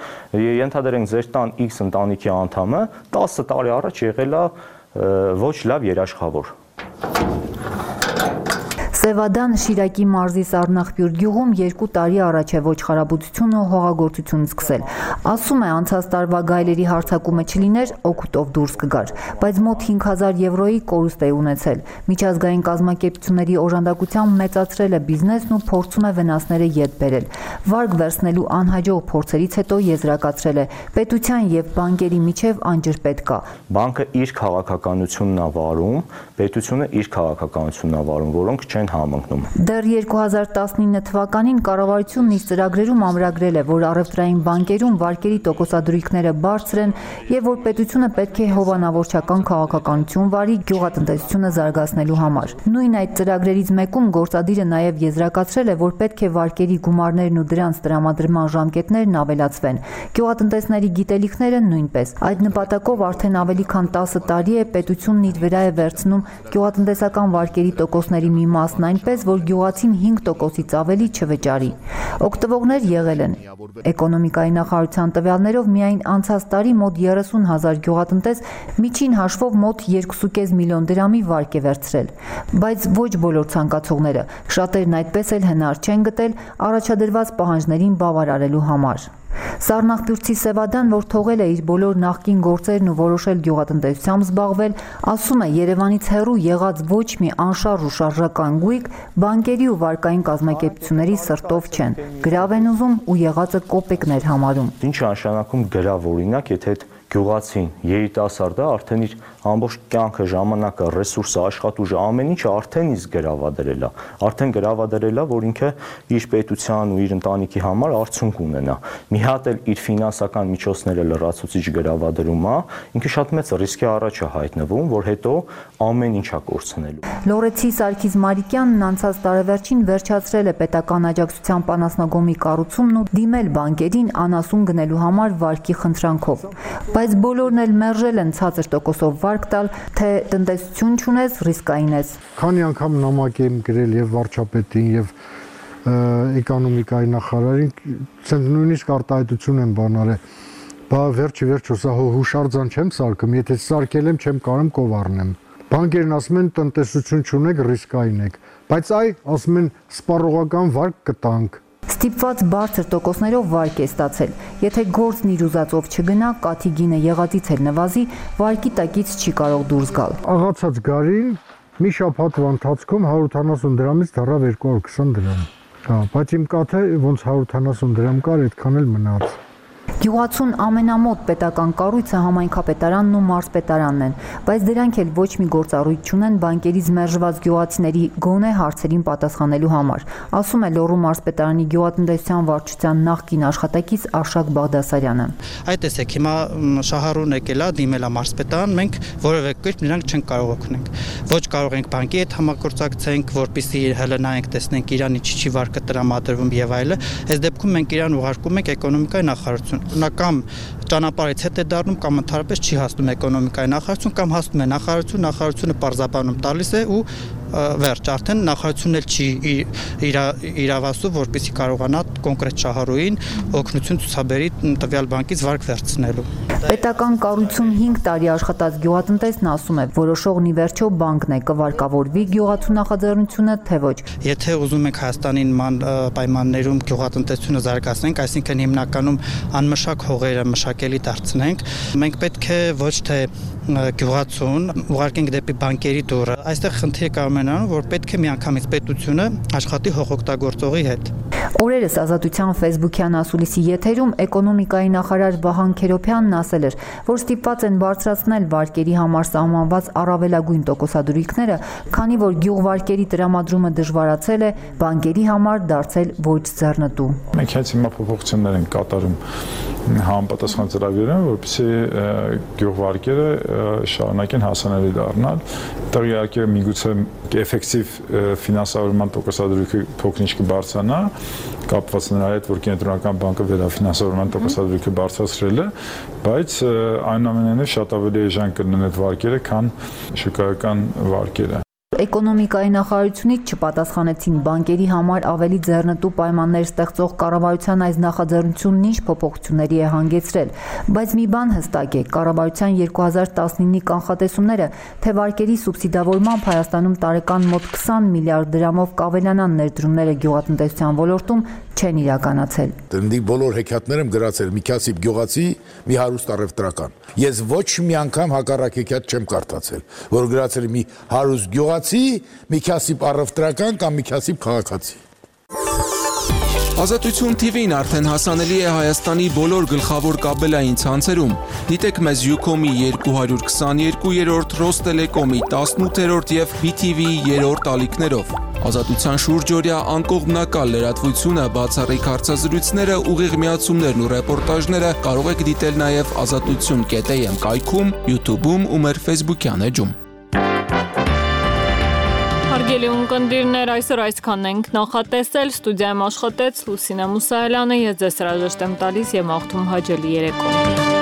ենթադրենք ձեր տան X ընտանիքի անդամը 10 տարի առաջ եղել է ոչ լավ երաշխավոր։ Սևադան Շիրակի մարզի Սառնախպյուր գյուղում 2 տարի առաջ է ոչխարաբուծությունը ու հողագործությունը սկսել։ Ասում է, անցած տարվա գայլերի հարձակումը չլիներ, օգուտով դուրս կգար, բայց մոտ 5000 եվրոյի կորուստ է ունեցել։ Միջազգային կազմակերպությունների օժանդակությամբ մեծացրել է բիզնեսն ու փորձում է վնասները ետ բերել։ Վարկ վերցնելու անհաջող փորձերից հետո եզրակացրել է, պետության եւ բանկերի միջև անջրպետ կա։ Բանկը իր քաղաքականությունն է վարում, պետությունը իր քաղաքականությունն է վարում, որոնք չեն համընկնում։ Դեռ 2019 թվականին կառավարությունն իր ծրագրերում ամրագրել է, որ առևտրային բանկերում վարկերի տոկոսադրույքները բարձր են եւ որ պետությունը պետք է հովանավորչական քաղաքականություն վարի գյուղատնտեսությունը զարգացնելու համար։ Նույն այդ ծրագրերից մեկում գործադիրը նաեւ եզրակացրել է, որ պետք է վարկերի գումարներն ու դրանց տրամադրման ժամկետներն ավելացվեն։ Գյուղատնտեսների գիտելիքները նույնպես։ Այդ նպատակով արդեն ավելի քան 10 տարի է պետությունն իր վրա է վերցնում գյուղատնտեսական վարկերի տոկոսների մի մասն այնպես, որ գյուղացին 5%-ից ավելի չվճարի։ Օգտվողներ եղել են։ Էկոնոմիկայի նախարարության տվյալներով միայն անցած տարի մոտ 30,000 գյուղատնտես միջին հաշվով մոտ 2.5 միլիոն դրամի վարկ է վերցրել։ Բայց ոչ բոլոր ցանկացողները, շատերն այդպես էլ հնար չեն գտել առաջադրված պահանջներին բավարարելու համար։ Սառնախպյուրցի Սևադան, որ թողել է իր բոլոր նախկին գործերն ու որոշել գյուղատնտեսությամբ զբաղվել, ասում է, Երևանից հեռու եղած ոչ մի անշարժ ու շարժական գույք բանկերի ու վարկային կազմակերպությունների սրտով չեն։ Գրավ են ուզում ու եղածը կոպեկներ համարում։ Ինչ է նշանակում գրավ, օրինակ, եթե գյուղացին, երիտասարդը արդեն իր ամբողջ կյանքը, ժամանակը, ռեսուրսը, աշխատուժը, ամեն ինչը արդեն իսկ գրավադրել է։ Արդեն գրավադրել է, որ ինքը իր պետության ու իր ընտանիքի համար արդյունք ունենա։ Մի հատ էլ իր ֆինանսական միջոցները լրացուցիչ գրավադրում է, ինքը շատ մեծ ռիսկի առաջ է հայտնվում, որ հետո ամեն ինչ է կորցնելու։ Լորեցի Սարգիս Մարիկյանն անցած տարեվերջին վերջացրել է պետական աջակցության պանասնագոմի կառուցումն ու դիմել բանկերին անասուն գնելու համար վարկի խնդրանքով։ Բայց բոլորն էլ մերժել են ցածր տոկոսով վարկ տալ, թե տնտեսություն չունես, ռիսկային ես։ Քանի անգամ նամակ եմ գրել եւ վարչապետին եւ էկոնոմիկայի նախարարին, ցենց նույնիսկ արտահայտություն եմ բանարել։ Բա վերջի սա հուշարձան չեմ սարքում, եթե սարքել եմ, չեմ կարող կովառնեմ։ Բանկերն ասում են տնտեսություն չունեք, ռիսկային եք, բայց ասում են սպառողական վարկ կտանք։ Ստիպված բարձր տոկոսներով վարկ է ստացել։ Եթե գործն իր ուզածով չգնա, կաթի գինը եղածից էլ նվազի, վարկի տակից չի կարող դուրս գալ։ Աղացած գարին մի շաբաթվա ընթացքում 170 դրամից դառավ 220 դրամ։ Բայց իմ կաթը ոնց 170 դրամ կար, այդքան էլ մնաց։ Գյուղացուն ամենամոտ պետական կառույցը համայնքապետարանն ու մարզպետարանն են, բայց դրանք էլ ոչ մի գործառույթ չունեն բանկերից մերժված գյուղացիների գոնե հարցերին պատասխանելու համար, ասում է Լոռու մարզպետարանի գյուղատնտեսության վարչության նախկին աշխատակից Արշակ Բաղդասարյանը։ Այդ տեսեք, հիմա շահառուն եկել է, դիմել է մարզպետարան, մենք որևէ կերպ նրանք չենք կարող օգնենք։ Ոչ կարող ենք բանկի հետ համագործակցենք, որպեսզի հելնայենք, տեսնենք իրան ինչի վարկը տրամադրվում եւ այլը։ Այս դեպքում մենք իրան ուղարկում ենք էկոնոմիկայի նախարարություն։ Նա կամ ճանապարհից հետ է դառնում կամ ընդհանրապես չի հասնում էկոնոմիկայի նախարարություն կամ հասնում է նախարարությունը պարզաբանում տալիս է ու վերջ արդեն նախարարությունն էլ չի իրավասու, որպեսզի կարողանա կոնկրետ շահառուին օգնություն ցուցաբերի տվյալ բանկից վարկ վերցնելու։ Պետական կառույցում 5 տարի աշխատած գյուղատնտեսն ասում է, որոշողն ի վերջո բանկն է, կվարկավորվի գյուղացու նախաձեռնությունը, թե ոչ։ Եթե ուզում ենք Հայաստանի նման պայմաններում գյուղատնտեսությունը զարգացնենք, այսինքն հիմնականում անմշակ հողերը մշակելի դարձնենք, մենք պետք է ոչ թե գյուղացուն ուղարկենք դեպի բանկերի դուռը։ Այստեղ խնդիրը կարող է նրանում, որ պետք է միանգամից պետությունը աշխատի հողօգտագործողի հետ։ Օրերս Ազատության Facebook-յան ասուլիսի եթերում էկոնոմիկայի նախարար Վահան Քերոփյանն ասել էր, որ ստիպված են բարձրացնել վարկերի համար սահմանված առավելագույն տոկոսադրույքները, քանի որ գյուղվարկերի տրամադրումը դժվարացել է, բանկերի համար դարձել ոչ ձեռնտու։ Մենք հենց հիմա փոփոխություններ ենք կատարում համապատասխան ծրագրերում, որպեսզի գյուղվարկերը շարունակեն հասանելի դառնալ։ Դա իհարկե միգուցե էֆեկտիվ ֆինանսավորման տոկոսադրույքը փոքրինչ կբարձրանա, կապված նրա հետ, որ կենտրոնական բանկը վերաֆինանսավորման տոկոսադրույքը բարձրացրել է, բայց այնուամենայնիվ շատ ավելի էժան կլինեն այդ վարկերը, քան շուկայական վարկերը։ Էկոնոմիկայի նախարարությունից չպատասխանեցին բանկերի համար ավելի ձեռնտու պայմաններ ստեղծող կառավարության այս նախաձեռնությունն ինչ փոփոխությունների է հանգեցրել, բայց մի բան հստակ է, կառավարության 2019-ի կանխատեսումները, թե վարկերի սուբսիդավորմամբ Հայաստանում տարեկան մոտ 20 միլիարդ դրամով կավելանան ներդրումները գյուղատնտեսության ոլորտում, չեն իրականացել։ Դնդի բոլոր հեքիաթներ եմ գրացել մի քասիբ գյուղացի, մի հարուստ առևտրական։ Ես ոչ մի անգամ հակառակ հեքիաթ չեմ կարդացել, որ գրացել մի հարուստ գյուղացի, մի քասիբ առևտրական կամ մի քասիբ քաղաքացի։ Ազատություն TV-ն արդեն հասանելի է Հայաստանի բոլոր գլխավոր կաբելային ցանցերում։ Դիտեք մեզ Ucom-ի 222-րդ, Ռոստելեկոմի 18-րդ եւ BTV-ի 3-րդ ալիքներով։ Ազատության շուրջօրյա անկողմնակալ լրատվությունը, բացառիկ հարցազրույցները, ուղիղ միացումներն ու ռեպորտաժները կարող եք դիտել նաև azatutsun.am կայքում, YouTube-ում ու մեր Facebook-յան էջում։ Հարգելի ունկնդիրներ, այսօր այսքանն ենք նախատեսել, ստուդիայում աշխատեց Լուսինե Մուսայելյանը, ես ձեզ հրաժեշտ եմ տալիս եւ մաղթում հաջելի երեկո։